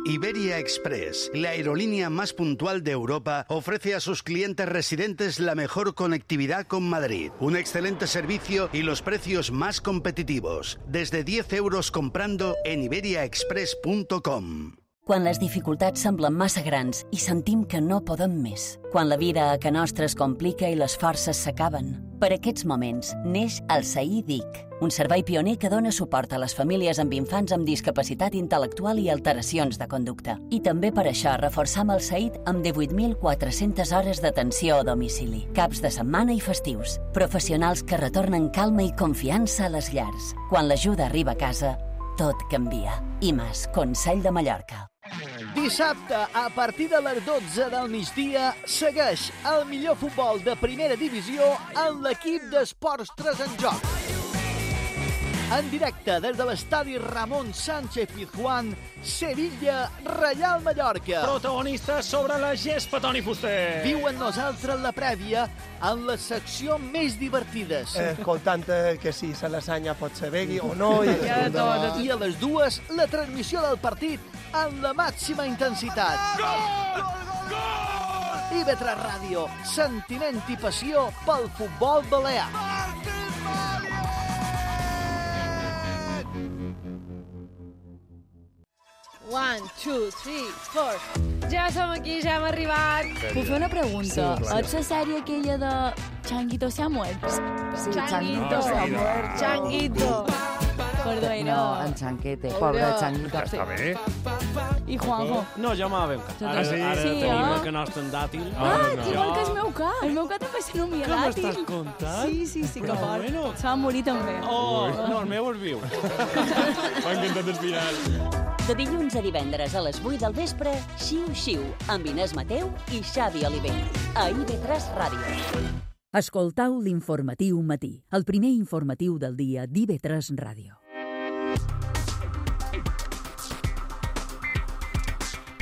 Iberia Express, la aerolínea más puntual de Europa, ofrece a sus clientes residentes la mejor conectividad con Madrid, un excelente servicio y los precios más competitivos. Desde diez euros comprando en iberia express punto com. Quan les dificultats semblen massa grans i sentim que no podem més. Quan la vida a ca nostra es complica i les forces s'acaben. Per aquests moments neix el S A I D I C, un servei pioner que dona suport a les famílies amb infants amb discapacitat intel·lectual i alteracions de conducta. I també per això reforçam el S A I D amb divuit mil quatre-centes hores d'atenció a domicili, caps de setmana i festius. Professionals que retornen calma i confiança a les llars. Quan l'ajuda arriba a casa, tot canvia. I més, Consell de Mallorca. Dissabte, a partir de les dotze del migdia, segueix el millor futbol de primera divisió en l'equip d'Esports tres en Joc. En directe des de l'estadi Ramon Sánchez Pizjuán, Sevilla, Reial Mallorca. Protagonistes sobre la gespa, Toni Fuster. Viu amb nosaltres la prèvia en la secció més divertides. Escoltant que si se lasanya pot ser begui o no. I, I a les dues, la transmissió del partit amb la màxima intensitat. Gol! Gol! I ve tres Ràdio, sentiment i passió pel futbol balear. One, two, three, four. Ja som aquí, ja hem arribat. Puc fer una pregunta? Sí, Ets la sèrie aquella de Changuito se ha muerto? Sí, Changuito se ha muerto. Changuito. Perdó, No, en Chanquete, pobre Changuito. Està bé. I Juanjo? No, jo me la veig. Ara, Sí? ara Sí, tenim eh? el canast en dàtil. Ah, igual que el meu cap. El meu cap també se nomia Què dàtil. m'estàs contant? Sí, sí, sí, que Però fort. bueno. Se va morir també. Oh, no, el meu és viu. M'ha encantat el final. De dilluns a divendres a les vuit del vespre, Xiu Xiu, amb Inés Mateu i Xavi Oliver. A I V tres Ràdio. Escoltau l'informatiu matí, el primer informatiu del dia d'I V tres Ràdio.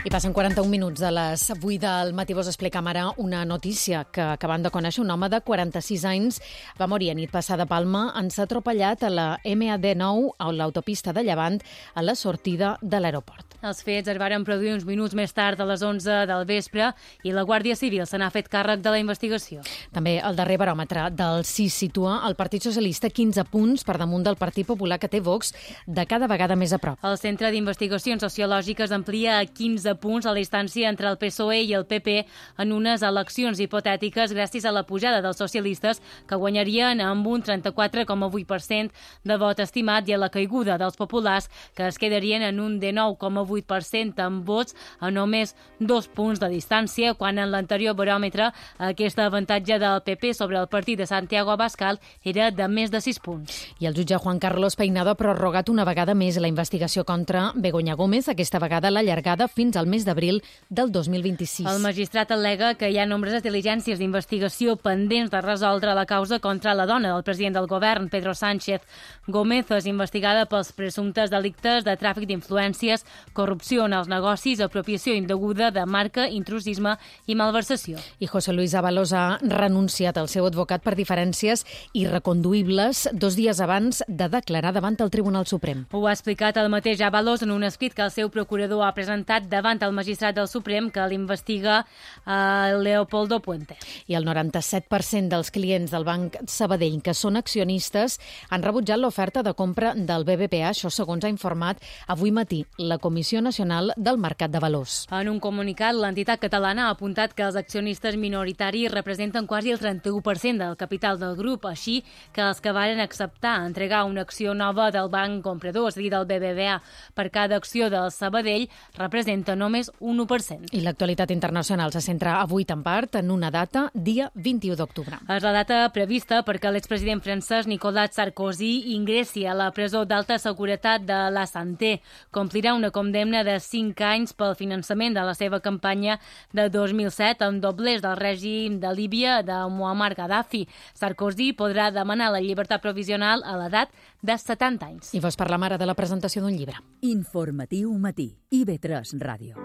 I passen quaranta-un minuts de les vuit del matí. Vos expliquem ara una notícia que acabem de conèixer. Un home de quaranta-sis anys va morir a nit passada a Palma en ser atropellat a la M A D nou a l'autopista de Llevant a la sortida de l'aeroport. Els fets es varen produir uns minuts més tard a les onze del vespre i la Guàrdia Civil se n'ha fet càrrec de la investigació. També el darrer baròmetre del C I S situa el Partit Socialista quinze punts per damunt del Partit Popular, que té Vox de cada vegada més a prop. El Centre d'Investigacions Sociològiques amplia a quinze punts a la distància entre el P S O E i el P P en unes eleccions hipotètiques gràcies a la pujada dels socialistes, que guanyarien amb un trenta-quatre coma vuit per cent de vot estimat, i a la caiguda dels populars, que es quedarien en un dinou coma vuit per cent amb vots a només dos punts de distància, quan en l'anterior baròmetre aquest avantatge del P P sobre el partit de Santiago Abascal era de més de sis punts. I el jutge Juan Carlos Peinado ha prorrogat una vegada més la investigació contra Begoña Gómez, aquesta vegada l'allargada fins al mes d'abril del dos mil vint-i-sis. El magistrat al·lega que hi ha nombroses diligències d'investigació pendents de resoldre la causa contra la dona del president del govern, Pedro Sánchez. Gómez és investigada pels presumptes delictes de tràfic d'influències, corrupció en els negocis, apropiació indeguda de marca, intrusisme i malversació. I José Luis Ábalos ha renunciat al seu advocat per diferències irreconduïbles dos dies abans de declarar davant el Tribunal Suprem. Ho ha explicat el mateix Ábalos en un escrit que el seu procurador ha presentat davant el magistrat del Suprem que l'investiga, eh, Leopoldo Puente. I el noranta-set per cent dels clients del Banc Sabadell que són accionistes han rebutjat l'oferta de compra del B B V A, això segons ha informat avui matí la Comissió Nacional del Mercat de Valors. En un comunicat, l'entitat catalana ha apuntat que els accionistes minoritaris representen quasi el trenta-u per cent del capital del grup, així que els que varen acceptar entregar una acció nova del banc comprador, és a dir, del B B V A, per cada acció del Sabadell representa només un u per cent. I l'actualitat internacional se centra avui en part en una data, dia vint-i-u d'octubre. És la data prevista perquè l'expresident francès Nicolas Sarkozy ingressi a la presó d'alta seguretat de la Santé. Complirà una condemna de cinc anys pel finançament de la seva campanya de dos mil set amb doblers del règim de Líbia de Muammar Gaddafi. Sarkozy podrà demanar la llibertat provisional a l'edat de setanta anys. I vos parlam ara de la presentació d'un llibre. Informatiu matí, I V tres Ràdio.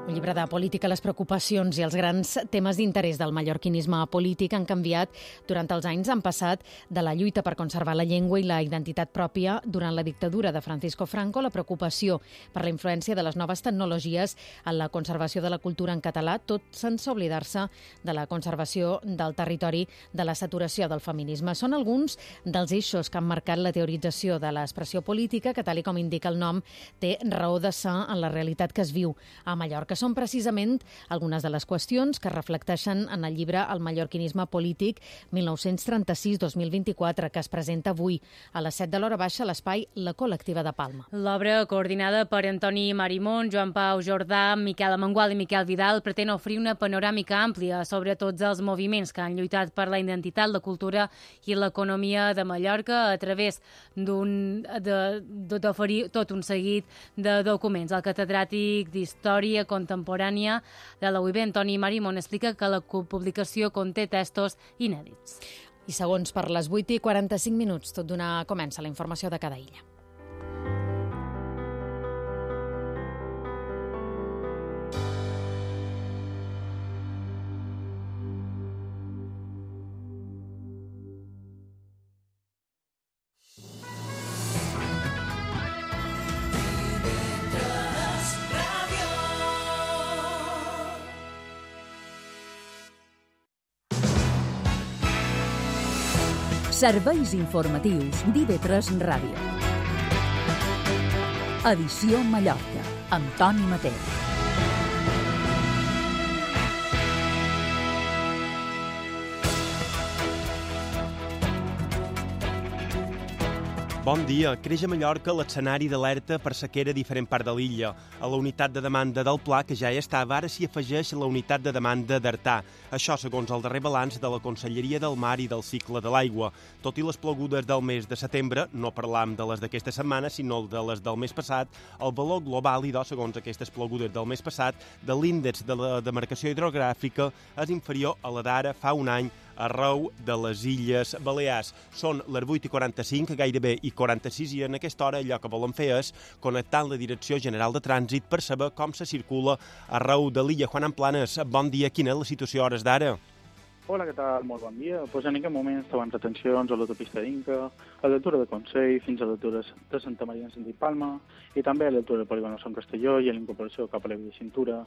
Un llibre de política, les preocupacions i els grans temes d'interès del mallorquinisme polític han canviat durant els anys. Han passat de la lluita per conservar la llengua i la identitat pròpia durant la dictadura de Francisco Franco, la preocupació per la influència de les noves tecnologies en la conservació de la cultura en català, tot sense oblidar-se de la conservació del territori, de la saturació del feminisme. Són alguns dels eixos que han marcat la teorització de l'expressió política que, tal com indica el nom, té raó de ser en la realitat que es viu a Mallorca. Són precisament algunes de les qüestions que reflecteixen en el llibre El mallorquinisme polític mil nou-cents trenta-sis dos mil vint-i-quatre, que es presenta avui a les set de l'hora baixa a l'espai La Col·lectiva de Palma. L'obra, coordinada per Antoni Marimón, Joan Pau Jordà, Miquel Amengual i Miquel Vidal, pretén ofrir una panoràmica àmplia sobre tots els moviments que han lluitat per la identitat, la cultura i l'economia de Mallorca a través d'un d'oferir tot un seguit de documents. El catedràtic d'Història Contemporània de la U I B, Antoni Marimón, explica que la publicació conté textos inèdits. I segons per les vuit i quaranta-cinc minuts, tot d'una comença la informació de cada illa. Serveis informatius d'I V tres Ràdio. Edició Mallorca, amb Toni Mateu. Bon dia. Creix a Mallorca l'escenari d'alerta per sequera a diferent part de l'illa. A la unitat de demanda del Pla, que ja hi estava, ara s'hi afegeix la unitat de demanda d'Artà. Això segons el darrer balanç de la Conselleria del Mar i del Cicle de l'Aigua. Tot i les plogudes del mes de setembre, no parlam de les d'aquesta setmana, sinó de les del mes passat, el valor global idò, segons aquestes plogudes del mes passat, de l'índex de la demarcació hidrogràfica és inferior a la d'ara fa un any arreu de les Illes Balears. Són les vuit i quaranta-cinc, gairebé i quaranta-sis, i en aquesta hora allò que volen fer és connectar amb la Direcció General de Trànsit per saber com se circula arreu de l'illa. Juan Amplanes, bon dia. Quina és la situació a hores d'ara? Hola, què tal? Molt bon dia. Pues en aquest moment estaven retencions a l'autopista d'Inca, a l'altura de Consell, fins a l'altura de Santa Maria en sentit Palma, i també a l'altura del polígon Sant Castelló i a la incorporació cap a la via Cintura.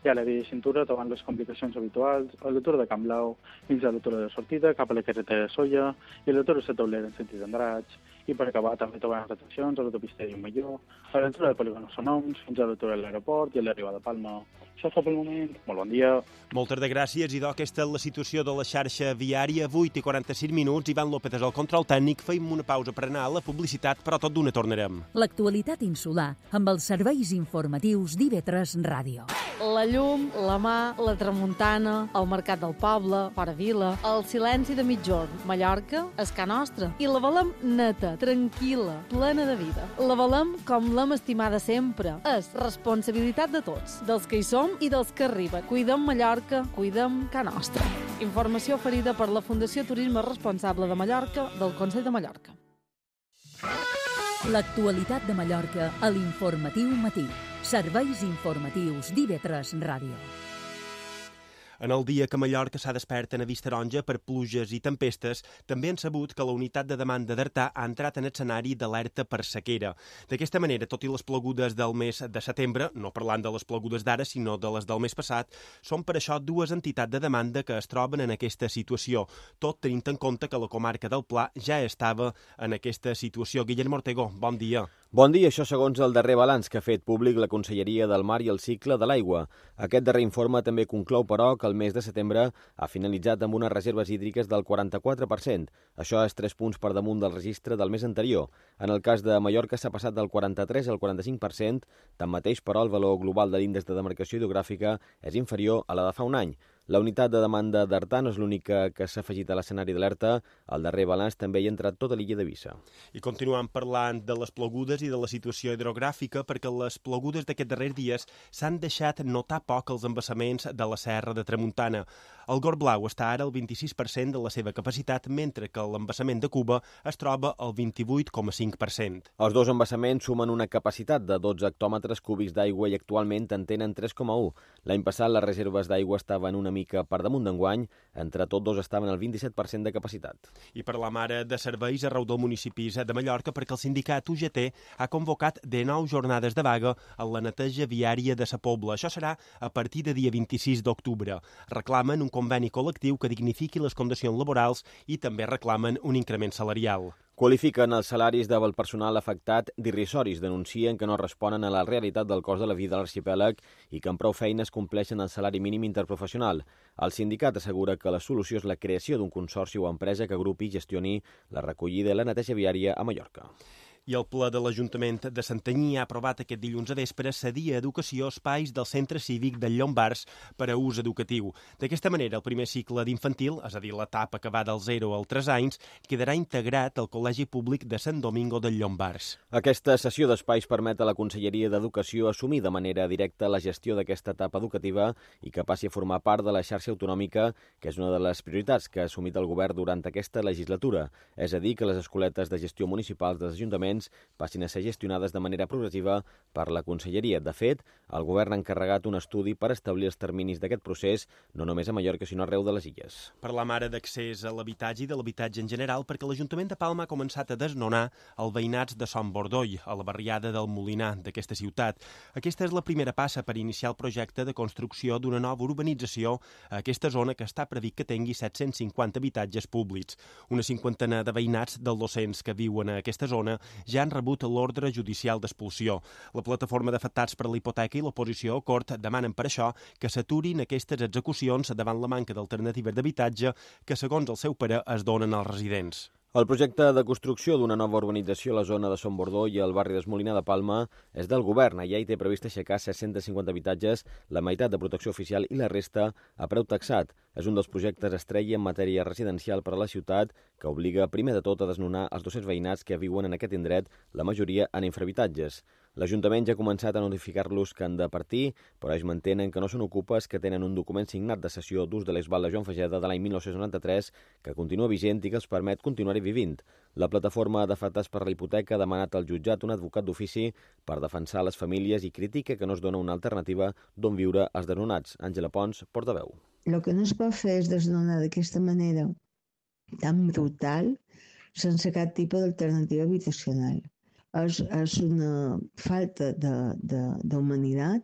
I a la via Cintura trobant les complicacions habituals a l'altura de Camp Blau, fins a l'altura de sortida, cap a la carretera de Solla i a l'altura de Taulera en sentit d'Andratx. I per acabar també trobant retencions a l'autopista de Llumelló, a l'altura del polígon Sonoms, fins a l'altura de l'aeroport i a l'arribada de Palma. Això fa pel moment. Molt bon dia. Moltes de gràcies. I aquesta és la situació de la xarxa viària. vuit i quaranta-cinc minuts. Ivan López és el control tècnic. Feim una pausa per anar a la publicitat, però tot d'una tornarem. L'actualitat insular amb els serveis informatius d'I V tres Ràdio. La llum, la mà, la tramuntana, el mercat del poble, fora vila, el silenci de mitjorn. Mallorca és ca nostra. I la volem neta, tranquil·la, plena de vida. La volem com l'hem estimada sempre. És responsabilitat de tots, dels que hi som i dels que arriben. Cuidem Mallorca, cuidem ca nostra. Informació oferida per la Fundació Turisme Responsable de Mallorca del Consell de Mallorca. L'actualitat de Mallorca a l'Informatiu Matí. Serveis informatius d'I V tres Ràdio. En el dia que Mallorca s'ha despert en avís taronja per pluges i tempestes, també han sabut que la unitat de demanda d'Artà ha entrat en escenari d'alerta per sequera. D'aquesta manera, tot i les plogudes del mes de setembre, no parlant de les plogudes d'ara, sinó de les del mes passat, són per això dues entitats de demanda que es troben en aquesta situació, tot tenint en compte que la comarca del Pla ja estava en aquesta situació. Guillermo Ortego, bon dia. Bon dia, això segons el darrer balanç que ha fet públic la Conselleria del Mar i el Cicle de l'Aigua. Aquest darrer informe també conclou, però, que el mes de setembre ha finalitzat amb unes reserves hídriques del quaranta-quatre per cent. Això és tres punts per damunt del registre del mes anterior. En el cas de Mallorca s'ha passat del quaranta-tres al quaranta-cinc per cent, tanmateix, però, el valor global de l'índex de demarcació hidrogràfica és inferior a la de fa un any. La unitat de demanda d'Artà no és l'única que s'ha afegit a l'escenari d'alerta. Al darrer balanç també hi ha entrat tota l'illa d'Eivissa. I continuem parlant de les plogudes i de la situació hidrogràfica, perquè les plogudes d'aquests darrers dies s'han deixat notar poc els embassaments de la Serra de Tramuntana. El Gorg Blau està ara al vint-i-sis per cent de la seva capacitat, mentre que l'embassament de Cuba es troba al vint-i-vuit coma cinc per cent. Els dos embassaments sumen una capacitat de dotze hectòmetres cúbics d'aigua i actualment en tenen tres coma u. L'any passat les reserves d'aigua estaven una mica per damunt d'enguany, entre tots dos estaven al vint-i-set per cent de capacitat. I parlam ara de serveis arreu del municipi de Mallorca perquè el sindicat U G T ha convocat de nou jornades de vaga en la neteja viària de Sa Pobla. Això serà a partir de dia vint-i-sis d'octubre. Reclamen un conveni col·lectiu que dignifiqui les condicions laborals i també reclamen un increment salarial. Qualifiquen els salaris del personal afectat d'irrisoris, denuncien que no responen a la realitat del cost de la vida a l'arxipèlag i que amb prou feines compleixen el salari mínim interprofessional. El sindicat assegura que la solució és la creació d'un consorci o empresa que agrupi i gestioni la recollida i la neteja viària a Mallorca. I el ple de l'Ajuntament de Santanyí ha aprovat aquest dilluns a vespre cedir a Educació espais del Centre Cívic del Llombards per a ús educatiu. D'aquesta manera, el primer cicle d'infantil, és a dir, l'etapa que va del zero al tres anys, quedarà integrat al Col·legi Públic de Sant Domingo del Llombards. Aquesta cessió d'espais permet a la Conselleria d'Educació assumir de manera directa la gestió d'aquesta etapa educativa i que passi a formar part de la xarxa autonòmica, que és una de les prioritats que ha assumit el govern durant aquesta legislatura. És a dir, que les escoletes de gestió municipals dels ajuntaments passin a ser gestionades de manera progressiva per la Conselleria. De fet, el govern ha encarregat un estudi per establir els terminis d'aquest procés, no només a Mallorca, sinó arreu de les illes. Parlam ara d'accés a l'habitatge i de l'habitatge en general, perquè l'Ajuntament de Palma ha començat a desnonar els veïnats de Son Bordoll, a la barriada del Molinar d'aquesta ciutat. Aquesta és la primera passa per iniciar el projecte de construcció d'una nova urbanització a aquesta zona que està previst que tingui set-cents cinquanta habitatges públics. Una cinquantena de veïnats dels docents que viuen a aquesta zona ja han rebut l'ordre judicial d'expulsió. La plataforma d'afectats per la hipoteca i l'oposició a Cort demanen per això que s'aturin aquestes execucions davant la manca d'alternatives d'habitatge que, segons el seu parer, es donen als residents. El projecte de construcció d'una nova urbanització a la zona de Son Bordó i al barri d'Esmolinar de Palma és del govern. Allà hi té previst aixecar set-cents cinquanta habitatges, la meitat de protecció oficial i la resta a preu taxat. És un dels projectes estrella en matèria residencial per a la ciutat que obliga primer de tot a desnonar els dos-cents veïnats que viuen en aquest indret, la majoria en infrahabitatges. L'Ajuntament ja ha començat a notificar-los que han de partir, però ells mantenen que no són ocupes, que tenen un document signat de cessió d'ús de l'exval de Joan Fageda de l'any mil nou-cents noranta-tres que continua vigent i que els permet continuar-hi vivint. La plataforma d'afectats per la hipoteca ha demanat al jutjat un advocat d'ofici per defensar les famílies i critica que no es dona una alternativa d'on viure als desnonats. Àngela Pons, portaveu. El que no es pot fer és desnonar d'aquesta manera tan brutal sense cap tipus d'alternativa habitacional. És, és una falta d'humanitat,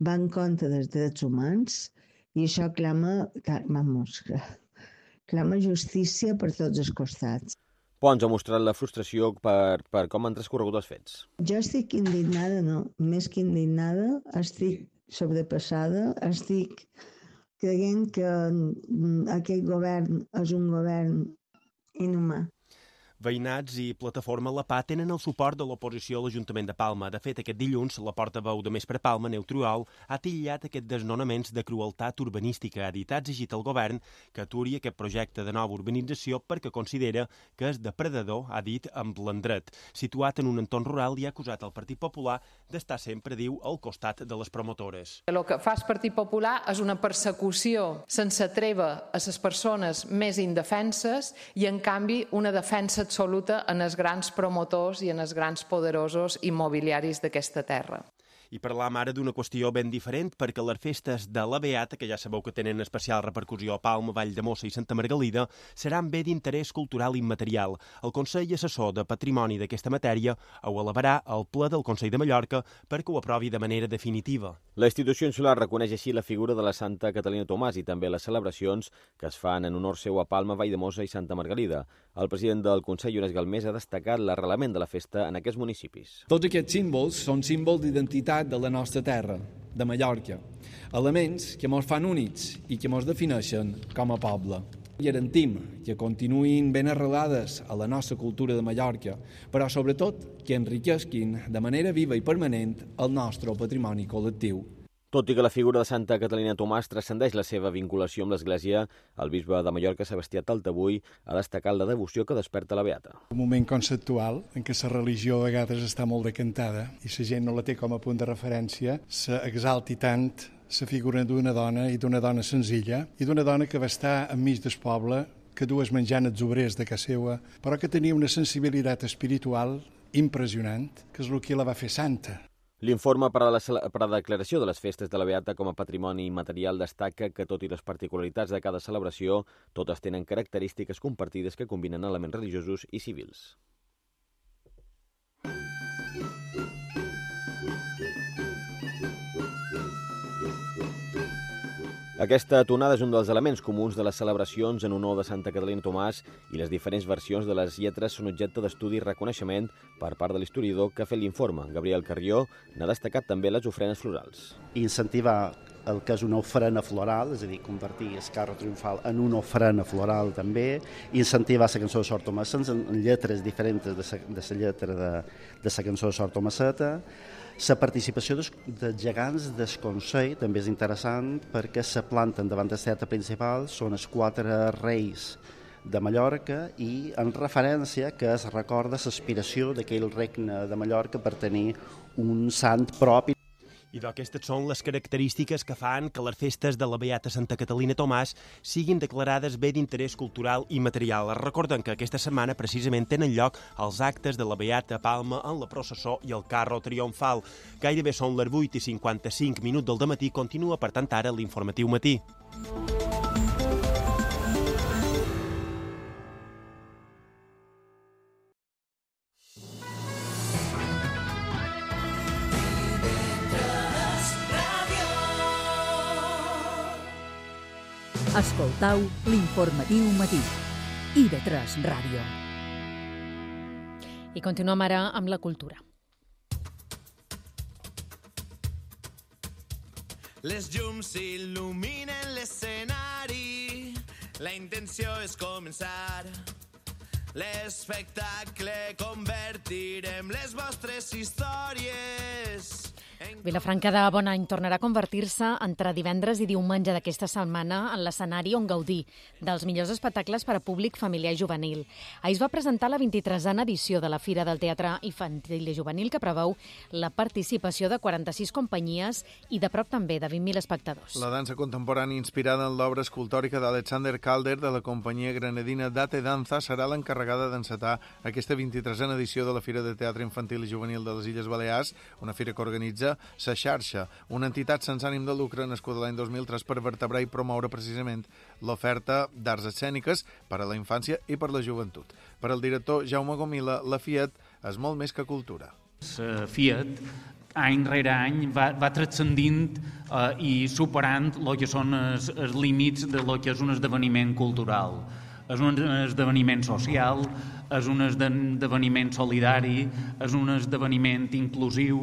va en contra dels drets humans i això clama, vamos, clama justícia per tots els costats. Pons ha mostrat la frustració per, per com han transcorregut els fets. Jo estic indignada, no? Més que indignada, estic sobrepassada, estic creient que aquest govern és un govern inhumà. Veïnats i Plataforma La Pah tenen el suport de l'oposició a l'Ajuntament de Palma. De fet, aquest dilluns, la portaveu de Més per Palma, Neutriol, ha titllat aquests desnonaments de crueltat urbanística. Ha dit, ha exigit al govern que aturi aquest projecte de nova urbanització perquè considera que és depredador, ha dit, amb l'endret. Situat en un entorn rural i ha acusat el Partit Popular d'estar sempre, diu, al costat de les promotores. El que fa el Partit Popular és una persecució sense treva a les persones més indefenses i, en canvi, una defensa absoluta en els grans promotors i en els grans poderosos immobiliaris d'aquesta terra. I parlam ara d'una qüestió ben diferent, perquè les festes de la Beata, que ja sabeu que tenen especial repercussió a Palma, Valldemossa i Santa Margalida, seran bé d'interès cultural immaterial. El Consell Assessor de Patrimoni d'aquesta matèria ho elevarà al ple del Consell de Mallorca perquè ho aprovi de manera definitiva. La institució insular reconeix així la figura de la Santa Catalina Tomàs i també les celebracions que es fan en honor seu a Palma, Valldemossa i Santa Margalida. El president del Consell, Llorenç Galmés, ha destacat l'arrelament de la festa en aquests municipis. Tots aquests símbols són símbols d'identitat de la nostra terra, de Mallorca. Elements que ens fan únics i que ens defineixen com a poble. Garantim que continuïn ben arrelades a la nostra cultura de Mallorca, però sobretot que enriquesquin de manera viva i permanent el nostre patrimoni col·lectiu. Tot i que la figura de Santa Catalina Tomàs transcendeix la seva vinculació amb l'Església, el bisbe de Mallorca, Sebastià Taltabull, ha destacat la devoció que desperta la Beata. Un moment conceptual en què la religió a vegades està molt decantada i la gent no la té com a punt de referència, s'exalti tant la figura d'una dona i d'una dona senzilla i d'una dona que va estar enmig del poble, que dues menjant els obrers de casa seva, però que tenia una sensibilitat espiritual impressionant, que és el que la va fer santa. L'informe per a la, per a la declaració de les festes de la Beata com a patrimoni immaterial destaca que, tot i les particularitats de cada celebració, totes tenen característiques compartides que combinen elements religiosos i civils. Aquesta tonada és un dels elements comuns de les celebracions en honor de Santa Catalina Tomàs i les diferents versions de les lletres són objecte d'estudi i reconeixement per part de l'historiador que ha fet l'informe. Gabriel Carrió n'ha destacat també les ofrenes florals. Incentivar el que és una ofrena floral, és a dir, convertir el carro triomfal en una ofrena floral també, incentivar la cançó de Sor Tomassens en lletres diferents de la lletra de, de la cançó de Sor Tomasseta. La participació dels, dels gegants del Consell també és interessant perquè se planten davant del teatre principal, són els quatre reis de Mallorca i en referència que es recorda l'aspiració d'aquell regne de Mallorca per tenir un sant propi. I d'aquestes són les característiques que fan que les festes de la Beata Santa Catalina Tomàs siguin declarades bé d'interès cultural i material. Recorden que aquesta setmana precisament tenen lloc els actes de la Beata Palma en la processó i el carro triomfal. Gairebé són les vuit i cinquanta-cinc minuts del dematí. Continua, per tant, ara l'informatiu matí. Escoltau l'informatiu matí. I ve tres Ràdio. I continuem ara amb la cultura. Les llums il·luminen l'escenari. La intenció és començar. L'espectacle convertirem les vostres històries. Vilafranca de Bonany tornarà a convertir-se entre divendres i diumenge d'aquesta setmana en l'escenari on gaudir dels millors espectacles per a públic familiar i juvenil. Ahir es va presentar la vint-i-tresena edició de la Fira del Teatre Infantil i Juvenil, que preveu la participació de quaranta-sis companyies i de prop també de vint mil espectadors. La dansa contemporània inspirada en l'obra escultòrica d'Alexander Calder de la companyia granadina Date Danza serà l'encarregada d'encetar aquesta vint-i-tresena edició de la Fira de Teatre Infantil i Juvenil de les Illes Balears, una fira que organitza la Xarxa, una entitat sense ànim de lucre nascuda l'any dos mil tres per vertebrar i promoure precisament l'oferta d'arts escèniques per a la infància i per la joventut. Per al director Jaume Gomila, la Fiat és molt més que cultura. La Fiat any rere any va, va transcendint eh, i superant el que són els, els límits de lo que és un esdeveniment cultural. És un esdeveniment social, és un esdeveniment solidari, és un esdeveniment inclusiu,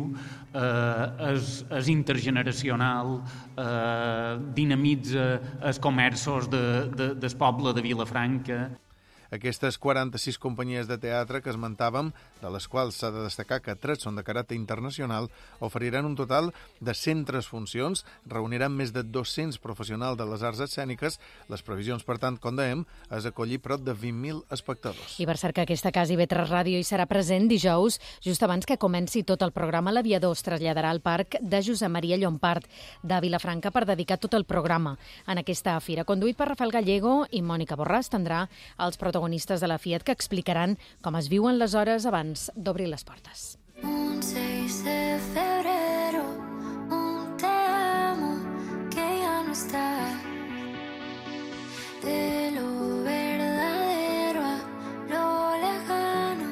eh, és, és intergeneracional, eh, dinamitza els comerços de, de, del poble de Vilafranca. Aquestes quaranta-sis companyies de teatre que esmentàvem, de les quals s'ha de destacar que tres són de caràcter internacional, oferiran un total de cent tres funcions, reuniran més de dos-cents professionals de les arts escèniques. Les previsions, per tant, com dèiem, és acollir prop de vint mil espectadors. I per cert que aquesta casa I ve tres Ràdio hi serà present dijous, just abans que comenci tot el programa. L'Aviador es traslladarà al parc de Josep Maria Llompart de Vilafranca per dedicar tot el programa en aquesta fira. Conduït per Rafael Gallego i Mònica Borràs, tindrà els protagonistes de la Fiat que explicaran com es viuen les hores abans d'obrir les portes. Un seis de febrero, un te amo que ya no está. De lo verdadero a lo lejano,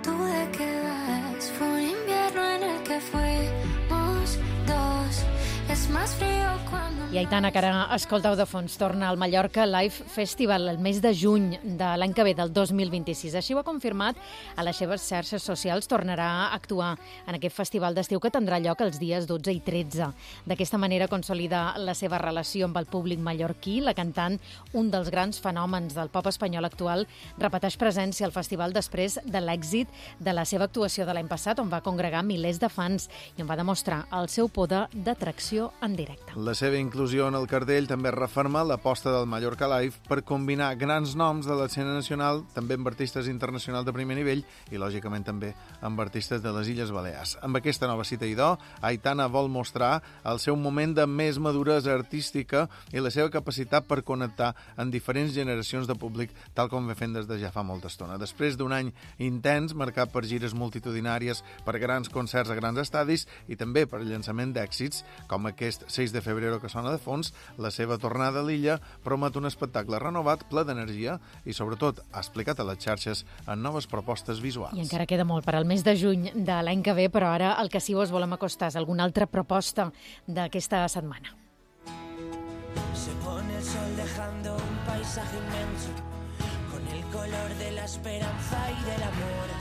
tú de qué vas. Fue un invierno en el que fuimos dos. Es más frío cuando... I Aitana, que ara escolteu de fons, torna al Mallorca Live Festival el mes de juny de l'any que ve, del dos mil vint-i-sis. Així ho ha confirmat a les seves xarxes socials. Tornarà a actuar en aquest festival d'estiu que tindrà lloc els dies dotze i tretze. D'aquesta manera consolida la seva relació amb el públic mallorquí. La cantant, un dels grans fenòmens del pop espanyol actual, repeteix presència al festival després de l'èxit de la seva actuació de l'any passat, on va congregar milers de fans i on va demostrar el seu poder d'atracció en directe. La seva inclusió inclusió en el cartell també referma l'aposta del Mallorca Live per combinar grans noms de l'escena nacional, també amb artistes internacionals de primer nivell i, lògicament, també amb artistes de les Illes Balears. Amb aquesta nova cita idò, Aitana vol mostrar el seu moment de més maduresa artística i la seva capacitat per connectar en diferents generacions de públic, tal com ve fent des de ja fa molta estona. Després d'un any intens, marcat per gires multitudinàries, per grans concerts a grans estadis i també per llançament d'èxits, com aquest sis de febrer que sona de fons, la seva tornada a l'illa promet un espectacle renovat, ple d'energia i, sobretot, ha explicat a les xarxes en noves propostes visuals. I encara queda molt per al mes de juny de l'any que ve, però ara el que sí us volem acostar és alguna altra proposta d'aquesta setmana. Se pone el sol dejando un paisaje inmenso con el color de la esperanza y del amor.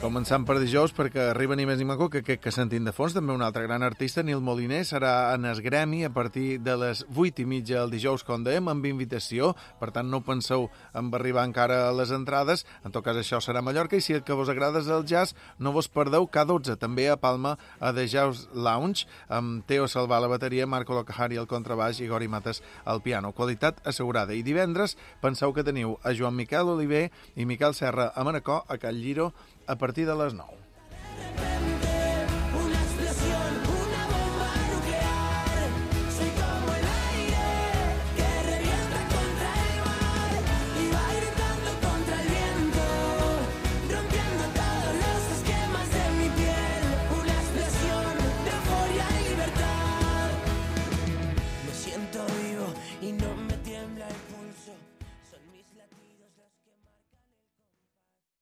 Començant per dijous, perquè arriba ni més ni menys que aquest que sentim de fons, també un altre gran artista, Nil Moliner, serà en el Gremi a partir de les vuit i mitja el dijous, com dèiem, amb invitació, per tant no penseu en arribar encara a les entrades, en tot cas això serà a Mallorca, i si el que vos agrada és el jazz, no vos perdeu K dotze, també a Palma, a The Jazz Lounge, amb Teo Salvà a la bateria, Marco Locahari al contrabaix i Gori Mates al piano. Qualitat assegurada. I divendres penseu que teniu a Joan Miquel Oliver i Miquel Serra a Manacor, a Cal Lliro, a partir de les nou.